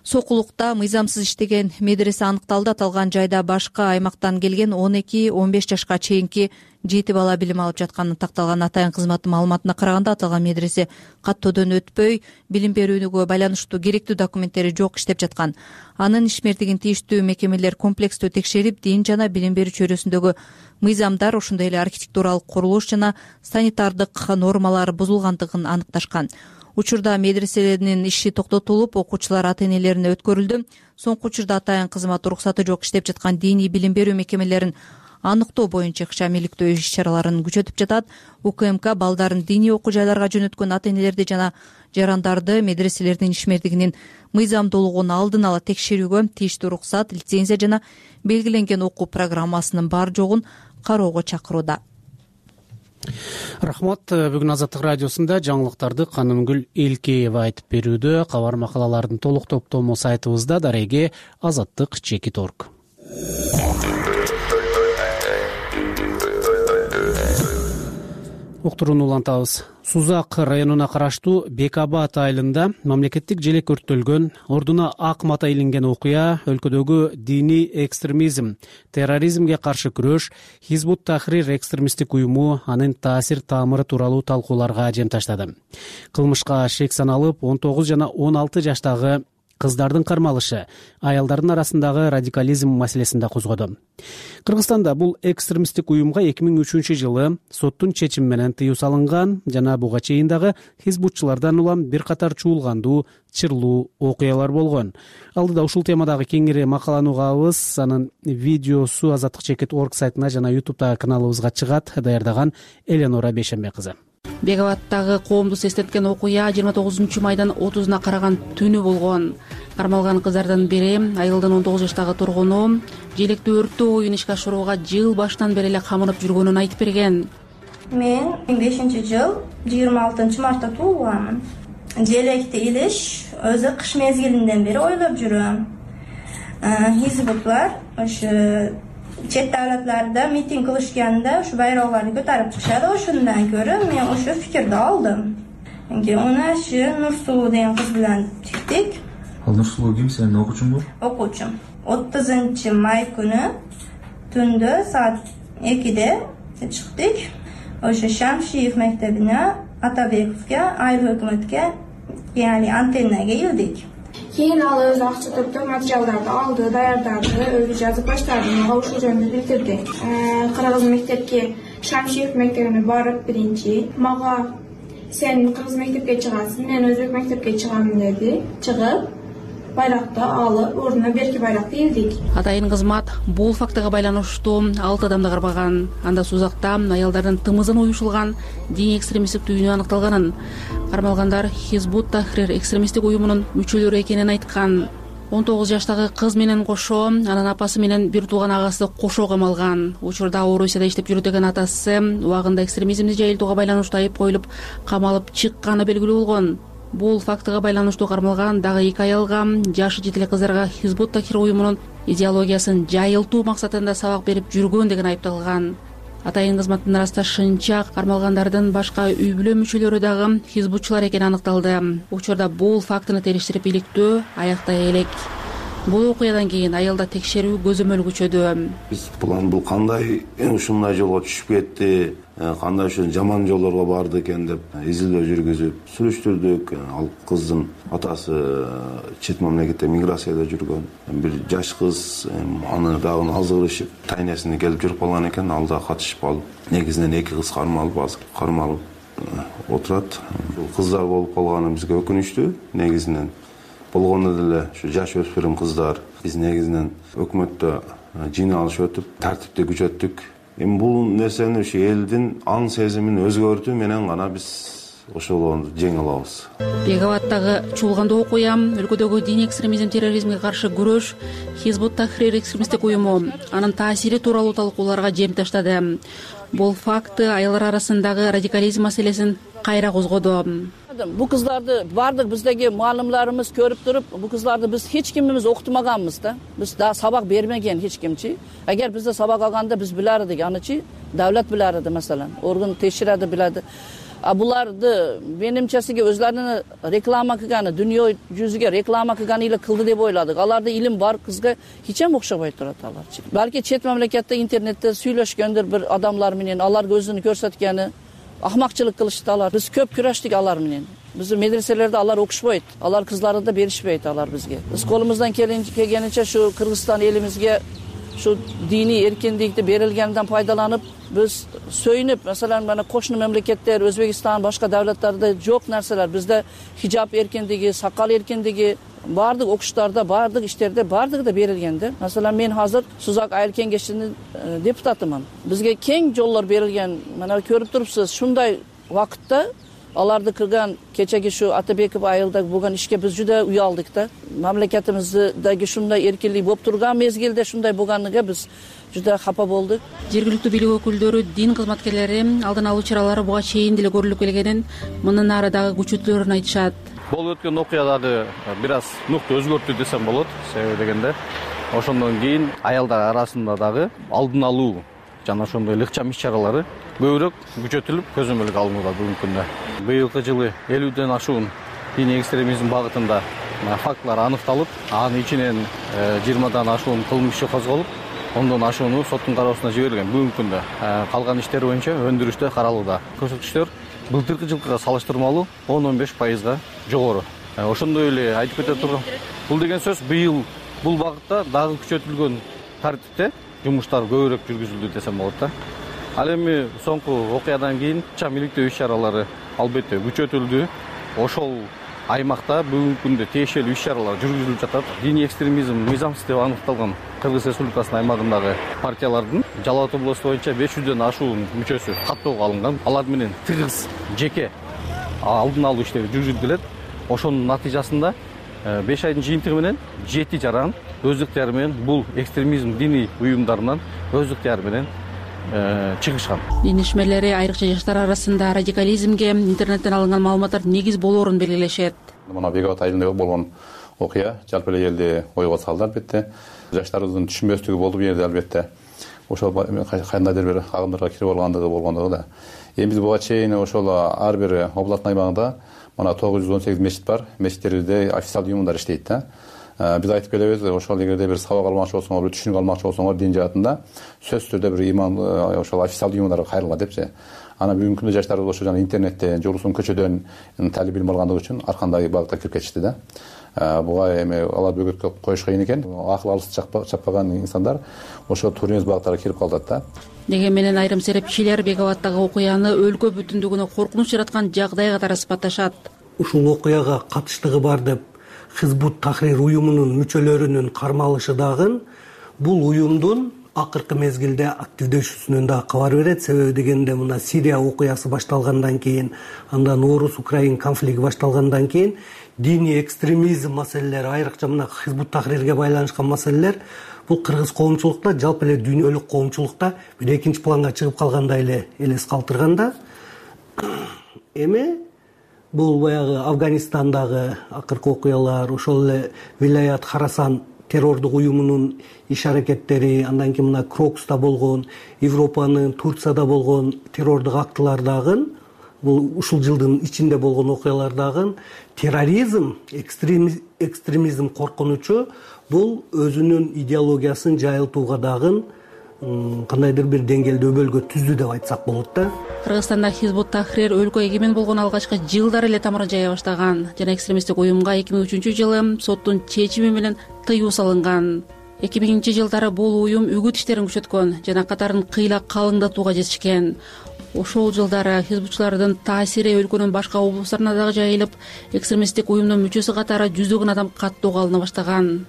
Сокулукта мыйзамсыз иштеген медресе аныкталды. Аталган жайда башка аймактан келген он эки он беш жашка чейинки жети бала билим алып жатканы такталган. Атайын кызматы маалыматына караганда, аталган медресе каттоодон өтпөй, билим берүүгө байланыштуу керектүү документтери жок иштеп жаткан. Анын ишмердигин тийиштүү мекемелер комплекстүү текшерип, дин жана билим берүү чөйрөсүндөгү мыйзамдар, ошондой эле архитектуралык курулуш жана санитардык нормалар бузулгандыгын аныкташкан. Учурда медреселердин иши токтотулуп, окуучулар ата-энелерине өткөрүлдү. Соңку учурда атайын кызмат уруксаты жок иштеп жаткан диний билим берүү мекемелерин аныктоо боюнча ишмиликтөө иш-чараларын күчөтүп жатат. УКМК балдарын диний окуу жайларга жөнөткөн ата-энелерди жана жарандарды медреселердин ишмердигинин мыйзамдуулугун алдын ала текшерүүгө, тийиштүү уруксат, лицензия жана белгиленген окуу программасынын бар жогун кароого чакырууда. Рахмат. Бүгүн Азаттык радиосунда жаңылыктарды Канымгүл Элкеева айтып берүүдө. Кабар макалалардын толук топтому сайтыбызда дареге азаттык чекит точка орг. Уктурууну улантабыз. Сузак районуна караштуу Бек Абад айылында мамлекеттик желек өрттөлгөн, ордуна ак мата илинген окуя өлкөдөгү диний экстремизм, терроризмге каршы күрөш, Хизбут Тахрир экстремисттик уюму анын таасир таамыры тууралуу талкууларга жем таштады. Кылмышка шек саналып, он тогуз жана он алты жаштагы кыздардын кармалышы аялдардын арасындагы радикализм маселесин да козгоду. Кыргызстанда бул экстремисттик уюмга эки миң үчүнчү жылы соттун чечими менен тыюу салынган жана буга чейин дагы хизбутчулардан улам бир катар чуулгандуу, чырлуу окуялар болгон. Алдыда ушул темадагы кеңири макаланы угабыз. Анын видеосу азаттык чекит точка орг сайтына жана ютубтагы каналыбызга чыгат. Даярдаган Эленора Бейшенбек кызы. Бек Абадтагы коомду сестеткен окуя жыйырма тогузунчу майдын отузуна караган түнү болгон. Кармалган кыздардын бири айылдын он тогуз жаштагы тургуну желекти өрттөө оюн ишке ашырууга жыл башынан бери эле камынып жүргөнүн айтып берген. Мен бешинчи жыл жыйырма алтынчы мартта туулганмын. Желекти илиш өзү кыш мезгилинден бери ойлоп жүрөм. Хизбутлар ошо чет давлатларда митинг кылышканда ушу байроолорду көтөрүп чыгышат. Ошондон көрө мен ошо фикирди алдым. Унашы Нурсулуу деген кыз менен чыктык. Ал Нурсулуу ким, сенин окуучуңбу? Окуучум. отузунчу май күнү түндө саат экиде чыктык. Ошо Шамшиев мектебине, Атабековке, айыл өкмөткө, яғни антеннага келдик. Кийин ал өзү акча топтоп материалдарды алды, даярдады, өзү жазып баштады. Мага ушул жөнүндө билдирди. Кыргыз мектепке, Шамшиев мектебине барып биринчи мага сен кыргыз мектепке чыгасың, мен өзбек мектепке чыгам деди. Чыгып байракты алып, ордуна берки байракты илдик. Атайын кызмат бул фактыга байланыштуу алты адамды кармаган. Анда Сузакта аялдардын тымызын уюшулган диний экстремисттик түйүнү аныкталганын, кармалгандар Хизбут Тахрир экстремисттик уюмунун мүчөлөрү экенин айткан. он тогуз жаштагы кыз менен кошо анын апасы менен бир тууган агасы кошо камалган. Учурда Орусияда иштеп жүрөт деген атасы убагында экстремизмди жайылтууга байланыштуу айып коюлуп камалып чыкканы белгилүү болгон. Бул фактыга байланыштуу кармалган дагы эки аялга, жашы жетиле кыздарга Хизбут Тахрир уюмунун идеологиясын жайылтуу максатында сабак берип жүргөн деген айыпталган. Атайын кызматтын ырасташынча кармалгандардын башка үй бүлө мүчөлөрү дагы хизбутчулар экени аныкталды. Учурда бул фактыны териштирип иликтөө аяктай элек. Бул окуядан кийин айылда текшерүү көзөмөл күчөдү. Биз бул кандай ушундай жолго түшүп кетти, кандай ушул жаман жолдорго барды экен деп изилдөө жүргүзүп сүрүштүрдүк. Ал кыздын атасы чет мамлекетте миграцияда жүргөн бир жаш кыз, аны дагы азгырышып тайнесине келип жүрүп калган экен. Ал да катышып алып, негизинен эки кыз кармалып, азыр кармалып отурат. Бул кыздар болуп калганы бизге өкүнүчтүү негизинен. болгондо деле ушу жаш өспүрүм кыздар биз негизинен өкмөттө жыйналыш өтүп тартипти күчөттүк. Эми бул нерсени ушу элдин аң сезимин өзгөртүү менен гана биз ошолорду жеңе алабыз. Бек Абаддагы чуулгандуу окуя, өлкөдөгү диний экстремизм, терроризмге каршы күрөш, Хизбут Тахрир экстремисттик уюму, анын таасири тууралуу талкууларга жем таштады. Бул факты аялдар арасындагы радикализм маселесин кайра козгоду. Бул кыздарды баардык биздеги муалимларыбыз көрүп туруп, бул кыздарды биз эч кимибиз окутмаганбыз да. Биз да сабак бермеген эч кимчи. Эгер бизде сабак алганда биз билер эдик, анычы давлат билер эди, маселен, орган текшереди биледи. А буларды менимчесиге өзлөрүнүн реклама кылганы, дүйнө жүзүгө реклама кылганы эле кылды деп ойладык. Аларда илим бар кызга эчем окшобой турат аларчы. Балки чет мамлекетте интернетте сүйлөшкөндүр бир адамдар менен, алар өзүн көрсөткөнү ахмакчылык кылышты алар. Биз көп күрөштүк алар менен. Биздин медреселерде алар окушпойт, алар кызларды да беришпейт алар бизге. Биз колубуздан келгенинче шу Кыргызстан элибизге şu dini erkinlikti berilgeninden faydalanıp biz söýünüp, mesela mana koşnu memleketler, Özbekistan, başka devletlerde çok narsalar. Bizde hicap erkinligi, sakal erkinligi bardyk okuşlarda, bardyk işlerde bardyk da berilgendi. Mesela men hazır Suzak Ayıl Kengeşinin deputatımın. Bizge keng jollar berilgen, mana körüp turupsuz, şunday vakitda alardı kırgan keçeki şu Atabekov ayılda bulgan işke biz juda uyaldık da. Mamlaketimizdagi şunday erkinlik bolup turgan mezgilde şunday bolganlyga biz juda xafa bolдук. Жергиликтүү бийлик өкүлдөрү, дин кызматкерлери алдын алуу чаралары буга чейин деле көрүлүп келгенин, мындан ары дагы күчөтүлөрүн айтышат. Болуп өткөн окуя дагы бир аз нукта өзгөрттү десем болот. Себеби дегенде ошондон кийин аялдар арасында дагы алдын алуу жана ошондой ыкчам иш-чаралары көбүрөөк күчөтүлүп көзөмөлгө алынууда бүгүнкү күндө. Быйылкы жылы элүүдөн ашуун диний экстремизм багытында фактылар аныкталып, анын ичинен жыйырмадан ашуун кылмыш иши козголуп, ондон ашууну соттун кароосуна жиберилген. Бүгүнкү күндө калган иштер боюнча өндүрүштө каралууда. Көрсөткүчтөр былтыркы жылкыга салыштырмалуу он он беш пайызга жогору. Ошондой эле айтып кете турган, бул деген сөз быйыл бул багытта дагы күчөтүлгөн тартипте жумуштар көбүрөөк жүргүзүлдү десем болот да. Ал эми соңку окуядан кийин чам иликтөө иш-чаралары албетте күчөтүлдү. Ошол аймакта бүгүнкү күндө тиешелүү иш-чаралар жүргүзүлүп жатат. Диний экстремизм мыйзамсыз деп аныкталган Кыргыз Республикасынын аймагындагы партиялардын Жалал Абад областу боюнча беш жүздөн ашуун мүчөсү каттоого алынган. Алар менен тыгыз жеке алдын алуу иштери жүргүзүлүп келет. Ошонун натыйжасында беш айдын жыйынтыгы менен жети жаран өз ыктыяры менен бул экстремизм диний уюмдарынан өз ыктыяры менен чыгышкан. Дин ишмерлери айрыкча жаштар арасында радикализмге интернеттен алынган маалыматтар негиз болоорун белгилешет. Мына Бек Абад айылында болгон окуя жалпы эле элди ойго салды албетте. Жаштарыбыздын түшүнбөстүгү болду бу жерде албетте. Ошол кандайдыр бир агымдарга кирип алгандыгы болгондугу да. Эми биз буга чейин ошол ар бир областтын аймагында мына тогуз жүз он сегиз мечит бар. Мечиттерибизде официалдуу уюмдар иштейт да. Биз айтып келебиз, ошол эгерде бир сабак алмакчы болсоңор, бир түшүнүк алмакчы болсоңор дин жаатында сөзсүз түрдө бир иман ошол официалдуу уюмдарга кайрылган депчи. Ана бүгүнкү күндө жаштарыбыз ошо жана интернеттен, жолусун көчөдөн талип билим алгандыгы үчүн ар кандай багытка кирип кетишти да. Буга эми алар бөгөткө коюш кыйын экен. Акыл алыс чаппаган инсандар ошо туура эмес багыттарга кирип калат да. Деген менен айрым серепчилер Бек Абаддагы окуяны өлкө бүтүндүгүнө коркунуч жараткан жагдай катары сыпатташат. Ушул окуяга катыштыгы бар деп Хизбут Тахрир уюмунун мүчөлөрүнүн кармалышы дагы бул уюмдун акыркы мезгилде активдешүүсүнөн да кабар берет. Себеби дегенде мына Сирия окуясы башталгандан кийин, андан Орус-Украин конфликти башталгандан кийин диний экстремизм маселелери, айрыкча мына Хизбут Тахрирге байланышкан маселелер бул кыргыз коомчулукта, жалпы эле дүйнөлүк коомчулукта бир экинчи планга чыгып калгандай эле элес калтырганда, эми бул баягы Афганистандагы акыркы окуялар, ошол эле Вилаят Харасан террордук уюмунун иш-аракеттери, андан кийин мына Крокуста болгон, Европанын Турцияда болгон террордук актылар дагы, бул ушул жылдын ичинде болгон окуялар дагы терроризм, экстремизм, экстремизм коркунучу бул өзүнүн идеологиясын жайылтууга дагы кандайдыр бир деңгээлде өбөлгө түздү деп айтсак болот да. Кыргызстанда Хизбут Тахрир өлкө эгемен болгон алгачкы жылдары эле тамырын жая баштаган жана экстремисттик уюмга эки миң үчүнчү жылы соттун чечими менен тыюу салынган. эки миңинчи жылдары бул уюм үгүт иштерин күчөткөн жана катарын кыйла калыңдатууга жетишкен. ошол жылдары хизбутчулардын таасири өлкөнүн башка облустарына дагы жайылып, экстремисттик уюмдун мүчөсү катары жүздөгөн адам каттоого алына баштаган.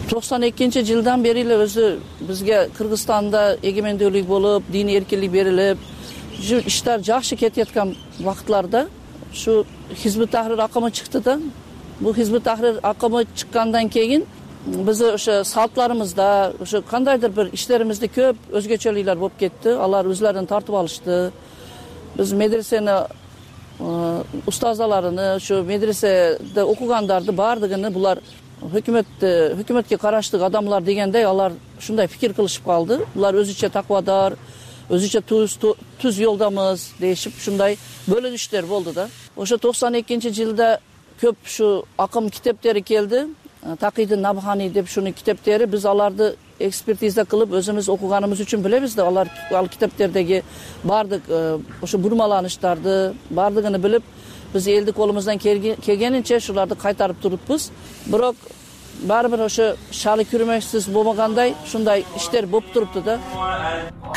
токсон экинчи жылдан бери эле өзү бизге Кыргызстанда эгемендүүлүк болуп, диний эркиндик берилип, иштер жакшы кетип аткан убакытларда ушу Хизбут Тахрир акымы чыкты да. Бул Хизбут Тахрир акымы чыккандан кийин биз ошо салтларыбызда, ошо кандайдыр бир иштерибизде көп өзгөчөлүктөр болуп кетти. Алар өзлөрүн тартып алышты. Биз медресени устазаларыны, ошо медреседе окугандарды баардыгын булар өкмөт өкмөткө караштык адамлар дегендей алар ушундай пикир кылышып калды. Булар өзүчө таквадар, өзүчө туз түз жолдамыз дешип ушундай бөлүнүштөр болду да. Ошо токсон экинчи жылда көп ушу акым китептери келди. Такийдин Набхани деп ушунун китептери, биз аларды экспертиза кылып өзүбүз окуганыбыз үчүн билебиз да, алар ал китептердеги баардык ошо бурмаланыштарды баардыгын билип, биз элдик колубуздан келгенинче ушуларды кайтарып туруппуз. Бирок баары бир ошо шалы күрмөксүз болбогандай ушундай иштер болуп турупту да.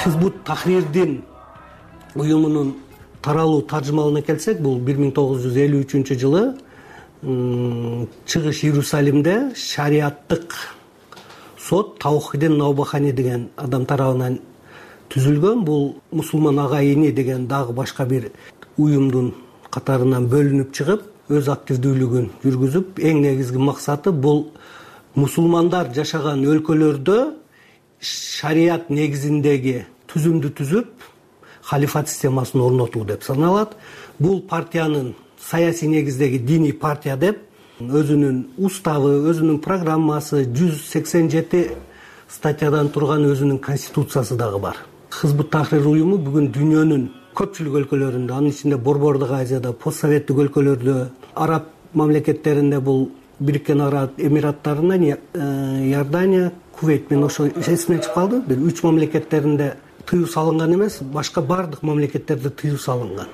Хизбут Тахрирдин уюмунун таралуу таржымалына келсек, бул бир миң тогуз жүз элүү үчүнчү жылы Чыгыш Иерусалимде шариаттык сот Таухидин Наубахани деген адам тарабынан түзүлгөн. Бул мусулман агайыны деген дагы башка бир уюмдун катарынан бөлүнүп чыгып, өз активдүүлүгүн жүргүзүп, эң негизги максаты бул мусулмандар жашаган өлкөлөрдө шарият негизиндеги түзүмдү түзүп, халифат системасын орнотуу деп саналат. Бул партиянын саясий негиздеги диний партия деп, өзүнүн уставы, өзүнүн программасы, жүз сексен жети статьядан турган өзүнүн конституциясы дагы бар. Хизбут Тахрир уюму бүгүн дүйнөнүн көпчүлүк өлкөлөрүндө, анын ичинде Борбордук Азияда, постсоветтик өлкөлөрдө, араб мамлекеттеринде, бул Бириккен Араб Эмираттарынан Иордания, Кувейт мен ошо эсимден чыгып калды, бир үч мамлекеттеринде тыюу салынган эмес, башка бардык мамлекеттерде тыюу салынган.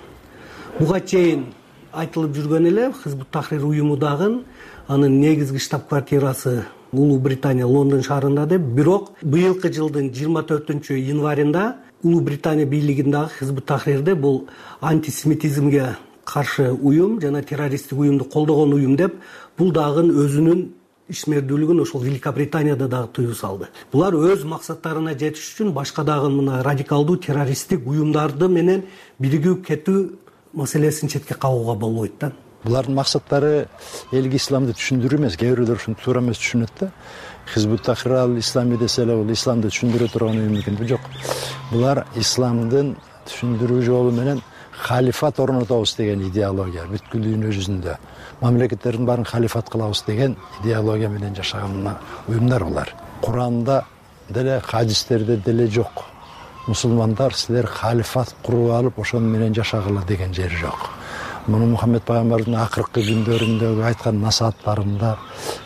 Буга чейин айтылып жүргөн эле Хизбут Тахрир уюму дагы анын негизги штаб-квартирасы Улуу Британия Лондон шаарында деп, бирок быйылкы жылдын жыйырма төртүнчү январында Улуу Британия бийлигиндагы Хизбут Тахрирде бул антисемитизмге каршы уюм жана террористтик уюмду колдогон уюм деп, бул дагы өзүнүн ишмердүүлүгүн ошол Великобританияда дагы тыюу салды. Булар өз максаттарына жетиш үчүн башка дагы мына радикалдуу террористтик уюмдарды менен биригип кетүү маселесин четке кагууга болбойт да. Булардын максаттары элге исламды түшүндүрүү эмес, кээ бирөөлөр ушуну туура эмес түшүнөт да. Хизбут Тахрир ал ислами десе эле бул исламды түшүндүрө турган уюм экен. Жок. Булар исламдын түшүндүрүү жолу менен халифат орнотобуз деген идеология бүткүл дүйнө жүзүндө. Мамлекеттердин баарын халифат кылабыз деген идеология менен жашаган уюмдар булар. Куранда деле, хадистерде деле жок. Мусулмандар силер халифат куруп алып ошону менен жашагыла деген жери жок. Муну Мухаммед пайгамбардын акыркы күндөрүндөгү айткан насааттарында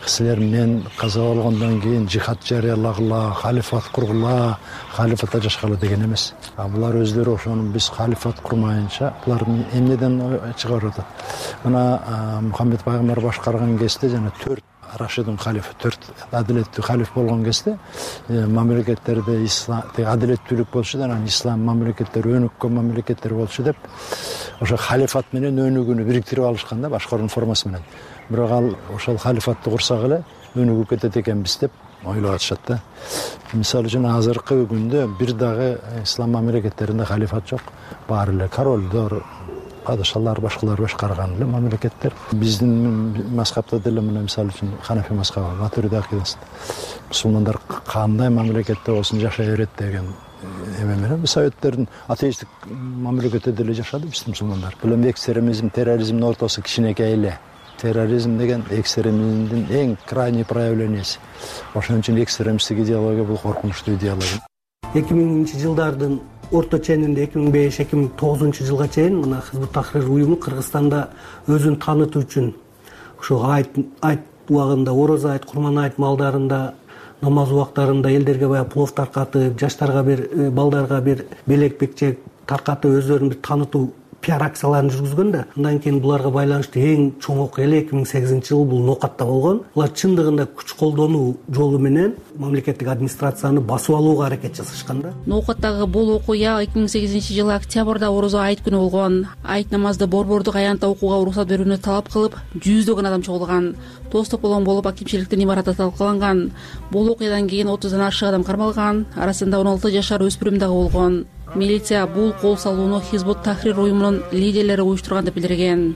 силер мен каза болгондон кийин жихад жарыялагыла, халифат кургула, халифатта жашагыла деген эмес. А булар өздөрү ошону биз халифат курмайынча булардын эмнеден чыгарып атат. Мына Мухаммед пайгамбар башкарган кезде жана төрт Рашидун халифа, төрт адилеттүү халиф болгон кезде мамлекеттерде ислам адилеттүүлүк болчу да, анан ислам мамлекеттери өнүккөн мамлекеттер болчу деп ошо халифат менен өнүгүүнү бириктирип алышкан да, башкаруунун формасы менен. Бирок ал ошол халифатты курсак эле өнүгүп кетет экенбиз деп ойлоп атышат да. Мисалы үчүн азыркы күндө бир дагы ислам мамлекеттеринде халифат жок. Баары эле королдор, падышалар, башкалар башкарган эле мамлекеттер. Биздин мазхабта деле мына мисалы үчүн Ханафи мазхабы, Матуриди акидасында мусулмандар кандай мамлекетте болсун жашай берет деген эме менен советтердин атеисттик мамлекетте деле жашады биздин мусулмандар. Бул эми экстремизм, терроризмдин ортосу кичинекей эле. Терроризм деген экстремизмдин эң крайний проявленияси. Ошон үчүн экстремисттик идеология бул коркунучтуу идеология. эки миңинчи жылдардын орто ченинде эки миң беш эки миң тогузунчу жылга чейин мына Хизбут Тахрир уюму Кыргызстанда өзүн таанытуу үчүн ошо айт айт убагында, орозо айт, курман айт малдарында, намаз убактарында элдерге баягы плов таркатып, жаштарга бир, балдарга бир белек бекчек таркатып өздөрүн бир таанытуу пиар акцияларын жүргүзгөн да. Андан кийин буларга байланыштуу эң чоң окуя эле эки миң сегизинчи жылы бул Ноокатта болгон. Булар чындыгында күч колдонуу жолу менен мамлекеттик администрацияны басып алууга аракет жасашкан да. Ноокаттагы бул окуя эки миң сегизинчи жылы октябрда Орозо айт күнү болгон. Айт намазды борбордук аянтта окууга уруксат берүүнү талап кылып, жүздөгөн адам чогулган. Тоз тополоң болуп акимчиликтин имараты талкаланган. Бул окуядан кийин отуздан ашык адам кармалган, арасында он алты жашар өспүрүм дагы болгон. Милиция бул кол салууну Хизбут Тахрир уюмунун лидерлери уюштурган деп билдирген.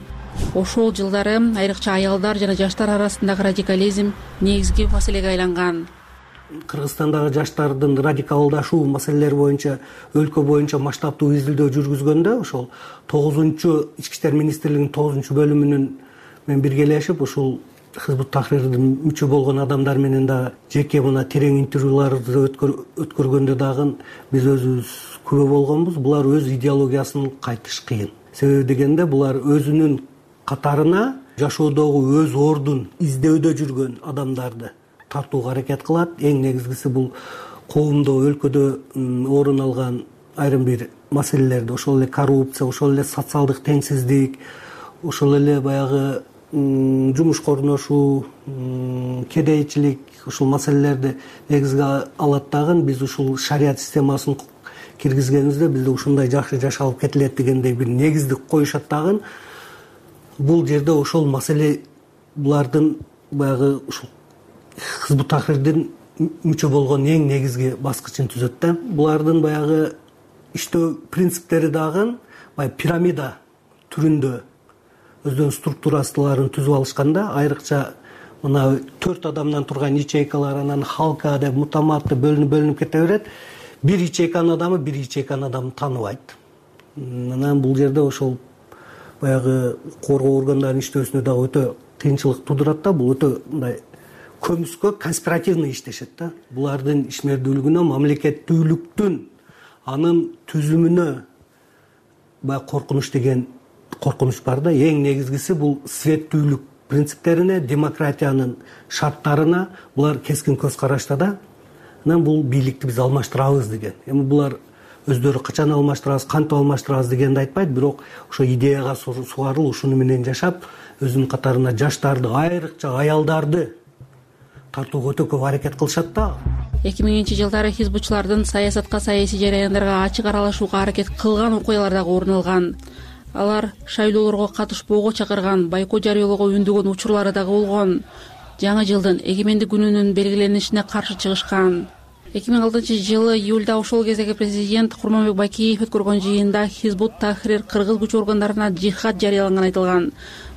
Ошол жылдары айрыкча аялдар жана жаштар арасындагы радикализм негизги маселеге айланган. Кыргызстандагы жаштардын радикалдашуу маселелери боюнча өлкө боюнча масштабтуу изилдөө жүргүзгөндө ошол тогузунчу ички иштер министрлигинин тогузунчу бөлүмүнүн менен биргелешип ушул Хизбут Тахрирдин мүчө болгон адамдар менен дагы жеке мына терең интервьюларды өткөргөндө дагы биз өзүбүз күбө болгонбуз. Булар өз идеологиясын кайтыш кыйын. Себеби дегенде булар өзүнүн катарына жашоодогу өз ордун издөөдө жүргөн адамдарды тартууга аракет кылат. Эң негизгиси бул коомдо, өлкөдө орун алган айрым бир маселелерди, ошол эле коррупция, ошол эле социалдык теңсиздик, ошол эле баягы жумушка орношуу, кедейчилик, ушул маселелерди негизге алат дагы. Биз ушул шарият системасын киргизгенибизде бизде ушундай жакшы жашалып кетилет дегендей бир негиздик коюшат дагы. Бул жерде ошол маселе булардын баягы ушул Хизбут Тахрирдин мүчө болгон эң негизги баскычын түзөт да. Булардын баягы иштөө принциптери дагы баягы пирамида түрүндө өздөрүнүн структурасыларын түзүп алышканда, айрыкча мына төрт адамдан турган ячейкалар, анан халка деп мутаматты бөлүнүп бөлүнүп кете берет. Бир ячейканын адамы бир ячейканын адамын тааныбайт. Анан бул жерде ошол баягы коргоо органдарынын иштөөсүнө дагы өтө кыйынчылык туудурат да. Бул өтө мындай көмүскө конспиративный иштешет да. Булардын ишмердүүлүгүнө, мамлекеттүүлүктүн анын түзүмүнө баягы коркунуч деген коркунуч бар да. Эң негизгиси бул светтүүлүк принциптерине, демократиянын шарттарына булар кескин көз карашта да. Анан бул бийликти биз алмаштырабыз деген. Эми булар өздөрү качан алмаштырабыз, кантип алмаштырабыз дегенди айтпайт, бирок ошо идеяга сугарылып, ушуну менен жашап, өзүнүн катарына жаштарды, айрыкча аялдарды тартууга өтө көп аракет кылышат да. эки миңинчи жылдары хизбутчулардын саясатка, саясий жараяндарга ачык аралашууга аракет кылган окуялар дагы орун алган. Алар шайлоолорго катышпоого чакырган, бойкот жарыялоого үндөгөн учурлары дагы болгон. Жаңы жылдын эгемендик күнүнүн белгиленишине каршы чыгышкан. эки миң алтынчы жылы июлда ошол кездеги президент Курманбек Бакиев өткөргөн жыйында Хизбут Тахрир кыргыз күч органдарына жихад жарыяланган айтылган.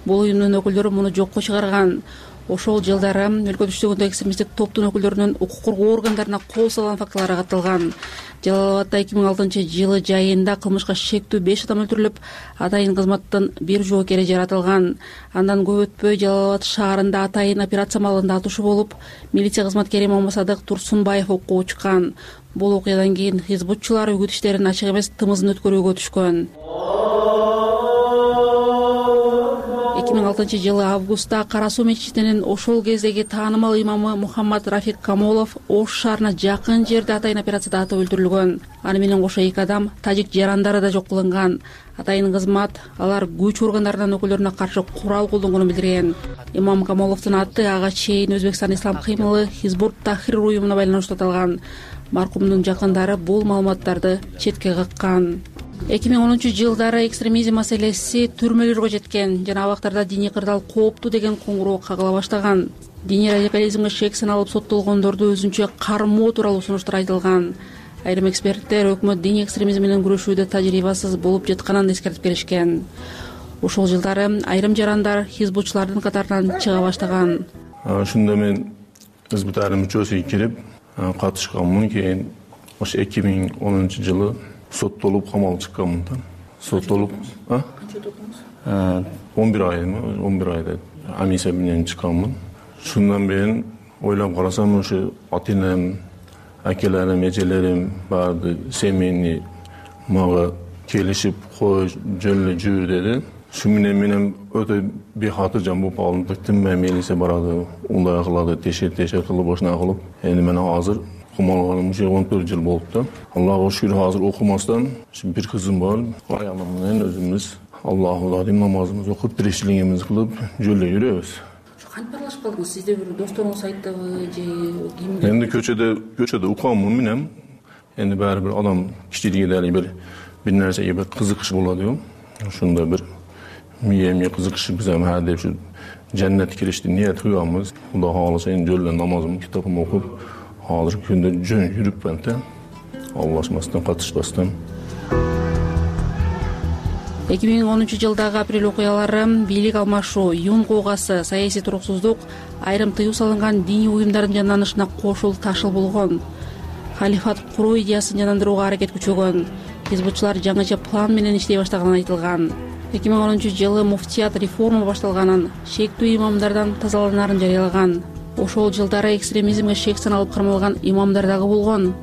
Бул уюмдун өкүлдөрү муну жокко чыгарган. Ошол жылдары өлкөдө иштөгөндө экстремисттик топтун өкүлдөрүнүн укук коргоо органдарына кол салган фактылары катталган. Жалал Абадда эки миң алтынчы жылы жайында кылмышка шектүү беш адам өлтүрүлүп, атайын кызматтын бир жоокери жаратылган. Андан көп өтпөй Жалал Абад шаарында атайын операция маалында атышуу болуп, милиция кызматкери Момосадык Турсунбаев окууга чыккан. Бул окуядан кийин хизбутчулар үгүт иштерин ачык эмес тымызын өткөрүүгө түшкөн. эки миң алтынчы жылы августта Кара Суу мечитинин ошол кездеги таанымал имамы Мухаммад Рафик Камолов Ош шаарына жакын жерде атайын операцияда атып өлтүрүлгөн. Аны менен кошо эки адам тажик жарандары да жок кылынган. Атайын кызмат алар күч органдарынын өкүлдөрүнө каршы курал колдонгонун билдирген. Имам Камоловдун аты ага чейин Өзбекстан ислам кыймылы Хизбут Тахрир уюмуна байланыштуу аталган. Маркумдун жакындары бул маалыматтарды четке каккан. эки миң онунчу жылдары экстремизм маселеси түрмөлөргө жеткен жана абактарда диний кырдаал кооптуу деген коңгуроо кагыла баштаган. Диний радикализмге шек саналып соттолгондорду өзүнчө кармоо тууралуу сунуштар айтылган. Айрым эксперттер өкмөт диний экстремизм менен күрөшүүдө тажрыйбасыз болуп жатканын эскертип келишкен. Ошол жылдары айрым жарандар хизбутчулардын катарынан чыга баштаган. Ошондо мен Хизбут Тахрир мүчөсү кирип катышканмын. Кийин ошо эки миң онунчу жылы соттолуп камалып чыкканмын да. Соттолуп, а? он бир аймы, он бир айда амнистия менен чыкканмын. Шундан бери ойлоп карасам, ошо ата-энем, акелерим, эжелерим баарды семейный мага келишип, кой, жөн эле жүр деди. Шу менен менен өтө бейхатыржан болуп калдым. Тынбай милиция барады, ундай кылады, тешер-тешер кылып, ошондой кылып. Эми мен азыр камалганым уже он төрт жыл болуп да. Аллага шүгүр азыр окумастан бир кызым бар. Аялым менен өзүбүз Аллаху алейм намазыбызды окуп, тиричилигибизди кылып жөлдө жүрөбүз. Кантип аралашып калдыңыз? Сизде бир досторуңуз айттыбы же кимге? Энди көчөдө көчөдө укаммын менен. Энди баары бир адам кичилиги дали бир бир нерсеге бир кызыгыш болот го. Ошондо бир миемге кызыгышып биз ама деп ушу жаннатка киришти ниет кылганбыз. Кудай кааласа энди жөлдө намазымды, китабымды окуп, азыр күндө жөн жүрүпмүн да. Албашмастан, катышпастан. эки миң онунчу жылдагы апрель окуялары, бийлик алмашуу, юн куугасы, саясий туруксуздук, айрым тыюу салынган диний уюмдардын жанданышына кошул ташыл болгон. Халифат куруу идеясын жандандырууга аракет күчөгөн. Хизбутчулар жаңыча план менен иштей баштаганы айтылган. эки миң онунчу жылы муфтият реформа башталганын, шектүү имамдардан тазаланарын жарыялаган. Ошол жылдары экстремизмге шек саналып кармалган имамдар дагы болгон.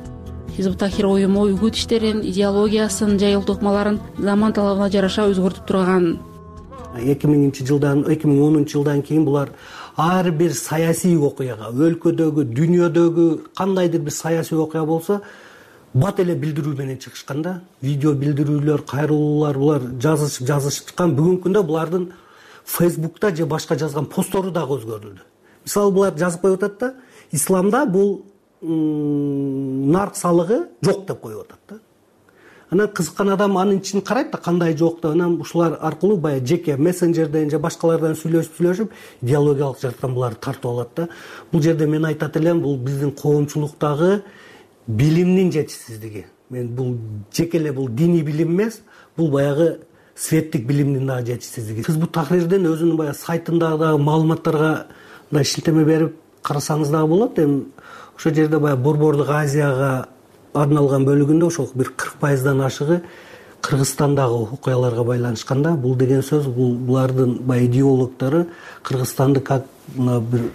Хизбут Тахрир уюму үгүт иштерин, идеологиясын, жайылтуу ыкмаларын заман талабына жараша өзгөртүп турган. эки миңинчи жылдан эки миң онунчу жылдан кийин булар ар бир саясий окуяга, өлкөдөгү, дүйнөдөгү кандайдыр бир саясий окуя болсо бат эле билдирүү менен чыгышкан да. Видео билдирүүлөр, кайрылуулар булар жазышып жазышып чыккан. Бүгүнкү күндө булардын Facebook'та же башка жазган посттору дагы өзгөрүлдү. Мисалы булар жазып коюп атат да, исламда бул нарк салыгы жок деп коюп атат да. Анан кызыккан адам анын ичин карайт да, кандай жок деп. Анан ушулар аркылуу баягы жеке мессенджерден же башкалардан сүйлөшүп сүйлөшүп идеологиялык жактан буларды тартып алат да. Бул жерде мен айтат элем, бул биздин коомчулуктагы билимдин жетишсиздиги. Мен бул жеке эле бул диний билим эмес, бул баягы светтик билимдин дагы жетишсиздиги. Хизбут Тахрирдин өзүнүн баягы сайтында дагы маалыматтарга мындай шилтеме берип карасаңыз дагы болот. Эми ошол жерде баягы Борбордук Азияга арналган бөлүгүндө ошол бир кырк пайыздан ашыгы Кыргызстандагы окуяларга байланышкан да. Бул деген сөз, бул булардын баягы идеологдору Кыргызстанды как бир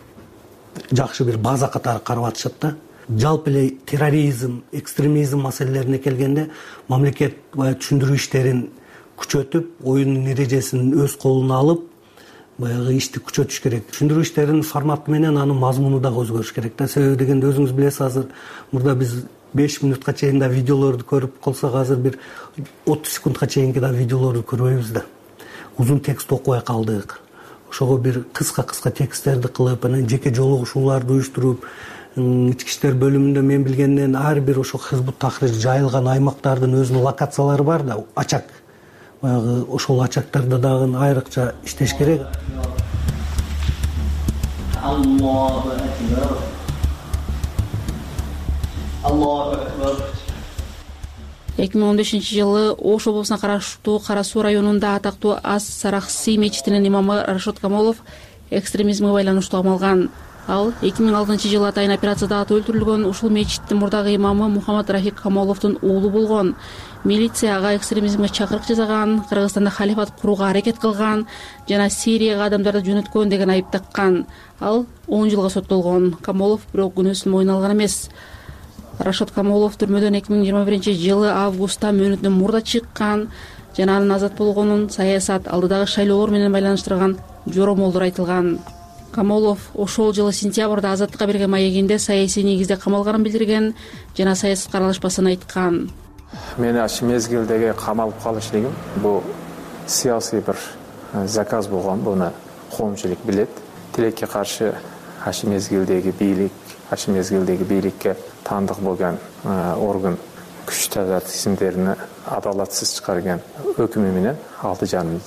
жакшы бир база катары карап атышат да. Жалпы эле терроризм, экстремизм маселелерине келгенде мамлекет баягы түшүндүрүү иштерин күчөтүп, оюнун эрежесин өз колуна алып, баягы ишти күчөтүш керек. Түшүндүрүү иштеринин форматы менен анын мазмуну дагы өзгөрүш керек да. Себеби дегенде өзүңүз билесиз, азыр мурда биз беш мүнөткө чейин да видеолорду көрүп калсак, азыр бир отуз секундка чейинки да видеолорду көрбөйбүз да. Узун текст окубай калдык. Ошого бир кыска-кыска тексттерди кылып, анан жеке жолугушууларды уюштуруп, ички иштер бөлүмүндө мен билгенден ар бир ошо Хизбут Тахрир жайылган аймактардын өзүнүн локациялары бар да, ачак. Баягы ошол ачактарда дагы айрыкча иштеш керек. Аллаху акбар. Аллаху акбар. эки миң он бешинчи жылы Ош облусуна караштуу Кара Суу районунда атактуу Ас Сарахси мечитинин имамы Рашод Камолов экстремизмге байланыштуу камалган. Ал эки миң алтынчы жылы атайын операцияда аты өлтүрүлгөн. Ушул мечиттин мурдагы имамы Мухаммад Рафик Камоловдун уулу болгон. Милиция ага экстремизмге чакырык жасаган, Кыргызстанда халифат курууга аракет кылган жана Сирияга адамдарды жөнөткөн деген айып таккан. Ал он жылга соттолгон. Камолов бирок күнөөсүн мойнуна алган эмес. Рашод Камолов түрмөдөн эки миң жыйырма биринчи жылы августта мөөнөтүнөн мурда чыккан жана анын азат болгонун саясат, алдыдагы шайлоолор менен байланыштырган жоромолдор айтылган. Камолов ошол жылы сентябрда азаттыкка берген маегинде саясий негизде камалганын билдирген жана саясатка аралашпасын айткан. Мени аш мезгилдеги камалып калышлыгым бул саясий бир заказ болгон, буну коомчулук билет. Тилекке каршы аш мезгилдеги бийлик, аш мезгилдеги бийликке таандык болгон орган күч тизимдерини адалатсыз чыгарган өкүмү менен алты жарым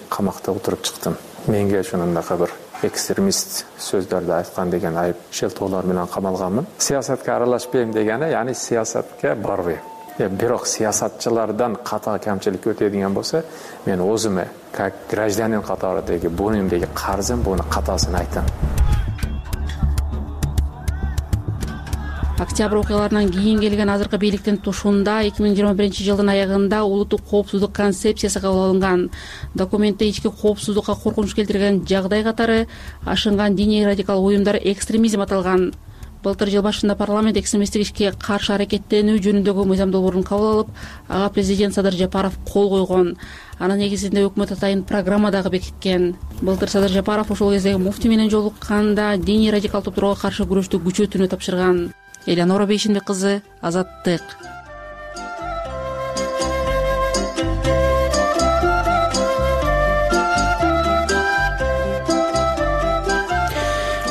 камакта отуруп чыктым. Менге ошондой бир экстремист сөздөрдү айткан деген айып шелтоолор менен камалганмын. Саясатка аралашпайм дегени, яны саясатка барбайм. Бирок саясатчылардан ката камчылык өтөдүгөн болсо, мен өзүмө как гражданин катарындагы буюмдагы карзым, буну катасын айтам. Октябрь окуяларынан кийин келген азыркы бийликтин тушунда эки миң жыйырма биринчи жылдын аягында улуттук коопсуздук концепциясы кабыл алынган. Документте ички коопсуздукка коркунуч келтирген жагдай катары ашынган диний радикал уюмдар экстремизм аталган. Былтыр жыл башында парламент экстремисттик ишке каршы аракеттенүү жөнүндөгү мыйзам долбоорун кабыл алып, ага президент Садыр Жапаров кол койгон. Анын негизинде өкмөт атайын программа дагы бекиткен. Былтыр Садыр Жапаров ошол кездеги муфти менен жолукканда диний радикал топторго каршы күрөштү күчөтүүнү тапшырган. элеонора бейшенбек кызы, Азаттык.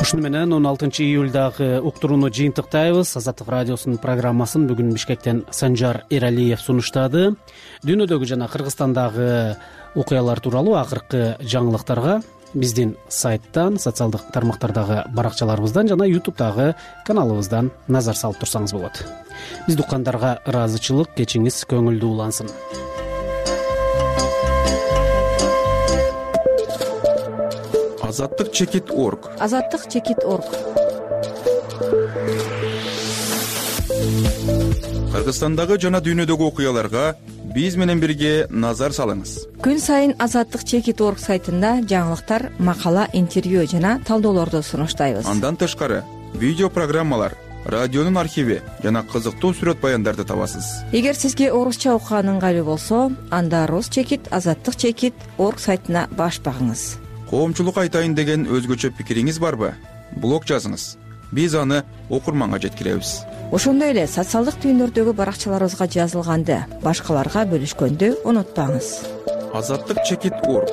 Ушуну менен он алтынчы июлдагы уктурууну жыйынтыктайбыз. Азаттык радиосунун программасын бүгүн Бишкектен Санжар Эралиев сунуштады. Дүйнөдөгү жана Кыргызстандагы окуялар тууралуу акыркы жаңылыктарга биздин сайттан, социалдык тармактардагы баракчаларыбыздан жана ютубтагы каналыбыздан назар салып турсаңыз болот. Бизди уккандарга ыраазычылык, кечиңиз көңүлдүү улансын. азаттык чекит орг азаттык чекит орг Кыргызстандагы жана дүйнөдөгү окуяларга биз менен бирге назар салыңыз. Күн сайын азаттык чекит орг сайтында жаңылыктар, макала, интервью жана талдоолорду сунуштайбыз. Андан тышкары видео программалар, радионун архиви жана кызыктуу сүрөт баяндарды табасыз. Эгер сизге орусча окуган ыңгайлуу болсо, анда рус чекит азаттык чекит орг сайтына баш багыңыз. Коомчулук айтайын деген өзгөчө пикириңиз барбы? Блог жазыңыз. Биз аны окурманга жеткиребиз. Ошондой эле социалдык түйүндөрдөгү баракчаларыбызга жазылганды башкаларга бөлүшкөндү унутпаңыз. Азаттык чекит орг